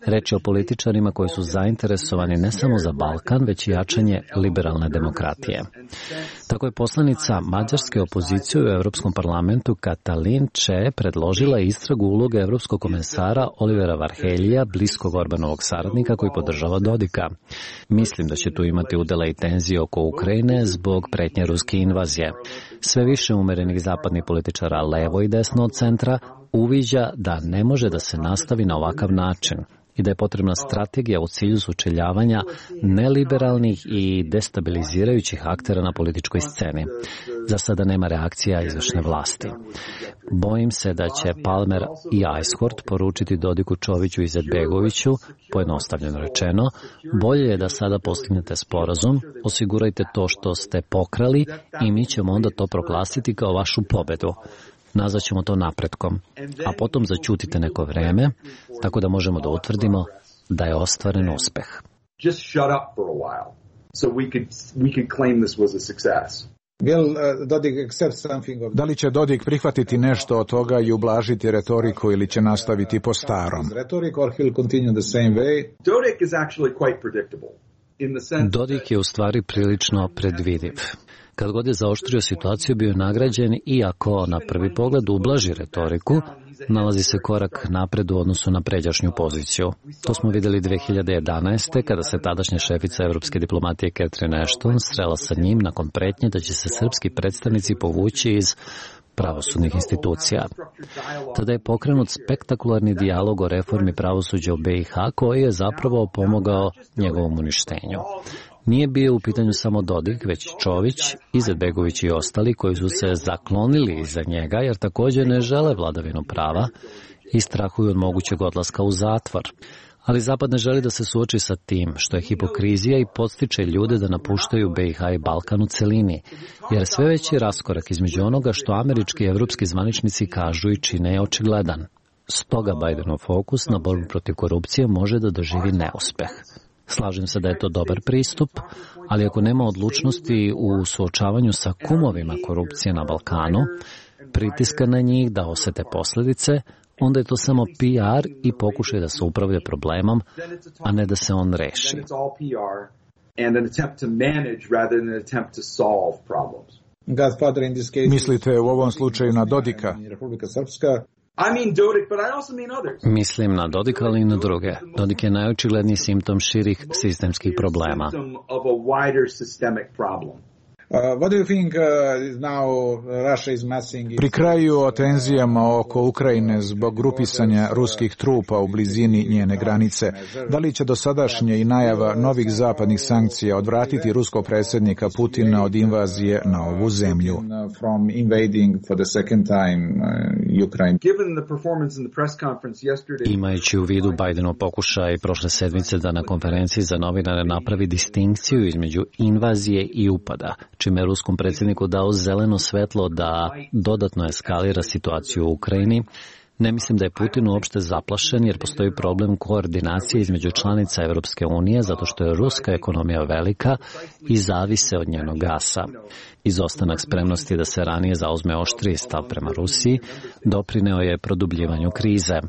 Reč je o političarima koji su zainteresovani ne samo za Balkan, već i jačanje liberalne demokratije. Tako je poslanica mađarske opozicije u Evropskom parlamentu Katalin Če predložila istragu uloge evropskog komesara Olivera Varheljija, bliskog Orbanovog saradnika koji podržava Dodika. Mislim da će tu imati udela i tenzije oko Ukrajine zbog pretnje ruske invazije. Sve više umerenih zapadnih političara levo i desno od centra uviđa da ne može da se nastavi na ovakav način i da je potrebna strategija u cilju sučeljavanja neliberalnih i destabilizirajućih aktera na političkoj sceni. Za sada nema reakcija izvršne vlasti. Bojim se da će Palmer i Ajshort poručiti Dodiku, Čoviću i Izetbegoviću, pojednostavljeno rečeno, bolje je da sada postignete sporazum, osigurajte to što ste pokrali i mi ćemo onda to proglasiti kao vašu pobedu. Nazvaćemo to napretkom, a potom zaćutite neko vreme, tako da možemo da utvrdimo da je ostvaren uspeh. Da li će Dodik prihvatiti nešto od toga i ublažiti retoriku ili će nastaviti po starom? Dodik je u stvari prilično predvidiv. Kad god je zaoštrio situaciju, bio je nagrađen, iako na prvi pogled ublaži retoriku, nalazi se korak napred u odnosu na pređašnju poziciju. To smo videli 2011. kada se tadašnja šefica evropske diplomatije Catherine Ashton srela sa njim nakon pretnje da će se srpski predstavnici povući iz pravosudnih institucija. Tada je pokrenut spektakularni dijalog o reformi pravosuđa u BiH koji je zapravo pomogao njegovom uništenju. Nije bio u pitanju samo Dodik, već Čović, Izetbegović i ostali koji su se zaklonili iza njega jer također ne žele vladavinu prava i strahuju od mogućeg odlaska u zatvor. Ali Zapad ne želi da se suoči sa tim, što je hipokrizija i podstiče ljude da napuštaju BiH i Balkan u celini, jer sve veći raskorak između onoga što američki i evropski zvaničnici kažu i čine je očigledan. Stoga Bidenov fokus na borbu protiv korupcije može da doživi neuspeh. Slažem se da je to dobar pristup, ali ako nema odlučnosti u suočavanju sa kumovima korupcije na Balkanu, pritiska na njih da osete posljedice, onda je to samo PR i pokušaj da se upravlja problemom, a ne da se on reši. Mislite u ovom slučaju na Dodika? Mislim na Dodika, ali i na druge. Dodik je najočigledniji simptom širih sistemskih problema. Pri kraju o tenzijama oko Ukrajine zbog grupisanja ruskih trupa u blizini njene granice, da li će dosadašnje i najava novih zapadnih sankcija odvratiti ruskog predsjednika Putina od invazije na ovu zemlju? Imajući u vidu Bidenov pokušaj prošle sedmice da na konferenciji za novinare napravi distinkciju između invazije i upada, čime je ruskom predsjedniku dao zeleno svetlo da dodatno eskalira situaciju u Ukrajini, ne mislim da je Putin uopšte zaplašen jer postoji problem koordinacije između članica Evropske unije zato što je ruska ekonomija velika i zavise od njenog gasa. Izostanak spremnosti da se ranije zauzme oštriji stav prema Rusiji doprineo je produbljivanju krize.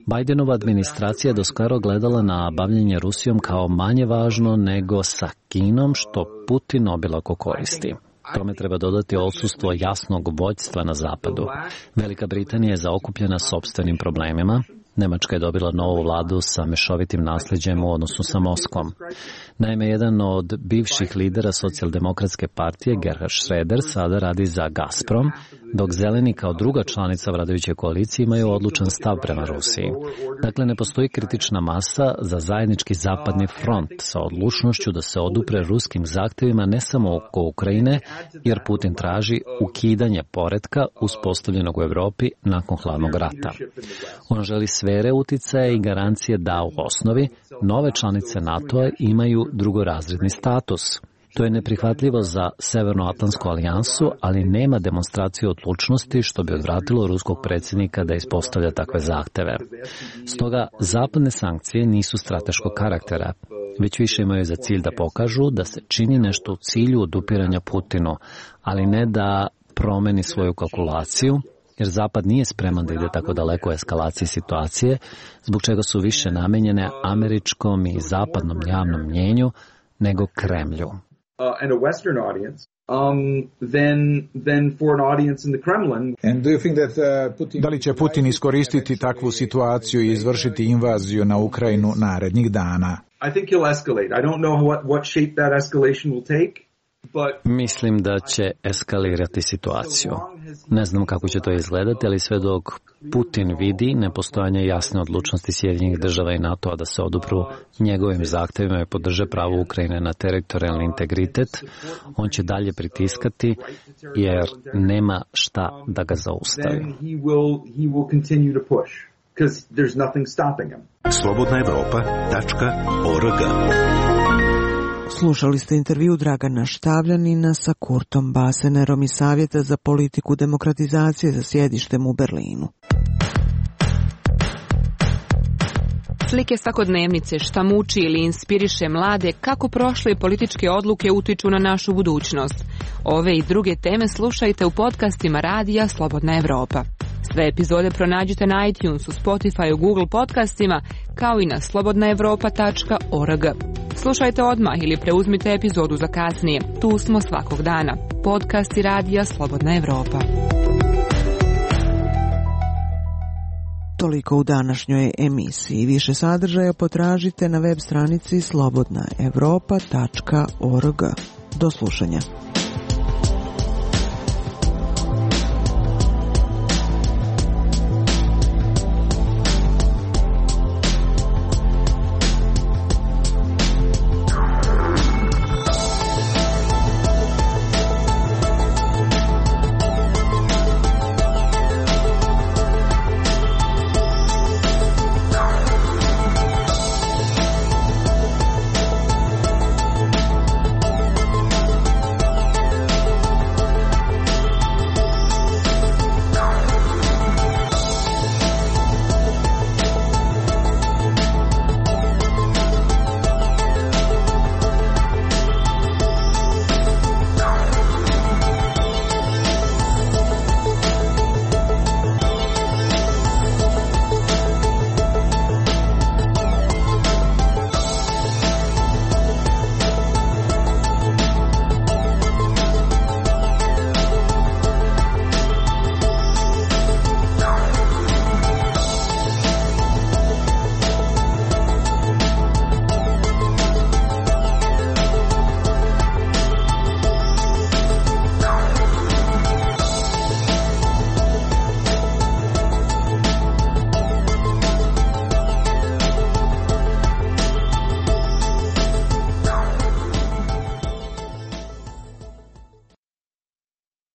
Bidenova administracija je doskoro gledala na bavljenje Rusijom kao manje važno nego sa Kinom, što Putin obilako koristi. Tome treba dodati odsustvo jasnog vođstva na zapadu. Velika Britanija je zaokupljena sopstvenim problemima. Nemačka je dobila novu vladu sa mešovitim nasljeđem u odnosu sa Moskvom. Naime, jedan od bivših lidera socijaldemokratske partije, Gerhard Schröder, sada radi za Gazprom, dok Zeleni kao druga članica vladajuće koalicije imaju odlučan stav prema Rusiji. Dakle, ne postoji kritična masa za zajednički zapadni front sa odlučnošću da se odupre ruskim zahtjevima ne samo oko Ukrajine, jer Putin traži ukidanje poretka uspostavljenog u Evropi nakon hladnog rata. On želi sfere uticaja i garancije da u osnovi nove članice NATO-a imaju drugorazredni status. To je neprihvatljivo za Severnoatlantsku alijansu, ali nema demonstracije odlučnosti što bi odvratilo ruskog predsjednika da ispostavlja takve zahteve. Stoga, zapadne sankcije nisu strateškog karaktera, već više imaju za cilj da pokažu da se čini nešto u cilju odupiranja Putinu, ali ne da promeni svoju kalkulaciju, jer Zapad nije spreman da ide tako daleko u eskalaciji situacije, zbog čega su više namenjene američkom i zapadnom javnom mnjenju nego Kremlju. And a Western audience, than for an audience in the Kremlin. And do you think that Putin... Da li će Putin iskoristiti takvu situaciju i izvršiti invaziju na Ukrajinu narednih dana? I think he'll escalate. I don't know what shape that escalation will take. Mislim da će eskalirati situaciju. Ne znam kako će to izgledati, ali sve dok Putin vidi nepostojanje jasne odlučnosti Sjedinjenih država i NATO-a da se odupru njegovim zahtjevima i podrže pravo Ukrajine na teritorijalni integritet, on će dalje pritiskati jer nema šta da ga zaustavi. slobodnaevropa.org. Slušali ste intervju Dragana Štavljanina sa Kurtom Basenerom iz Savjeta za politiku demokratizacije za sjedištem u Berlinu. Slike svakodnevnice, šta muči ili inspiriše mlade, kako prošle političke odluke utiču na našu budućnost. Ove i druge teme slušajte u podcastima Radija Slobodna Evropa. Sve epizode pronađite na iTunesu, Spotify, Google podcastima, kao i na slobodnaevropa.org. Slušajte odmah ili preuzmite epizodu za kasnije. Tu smo svakog dana. Podcasti Radija Slobodna Evropa. Toliko u današnjoj emisiji. Više sadržaja potražite na web stranici slobodnaevropa.org. Do slušanja.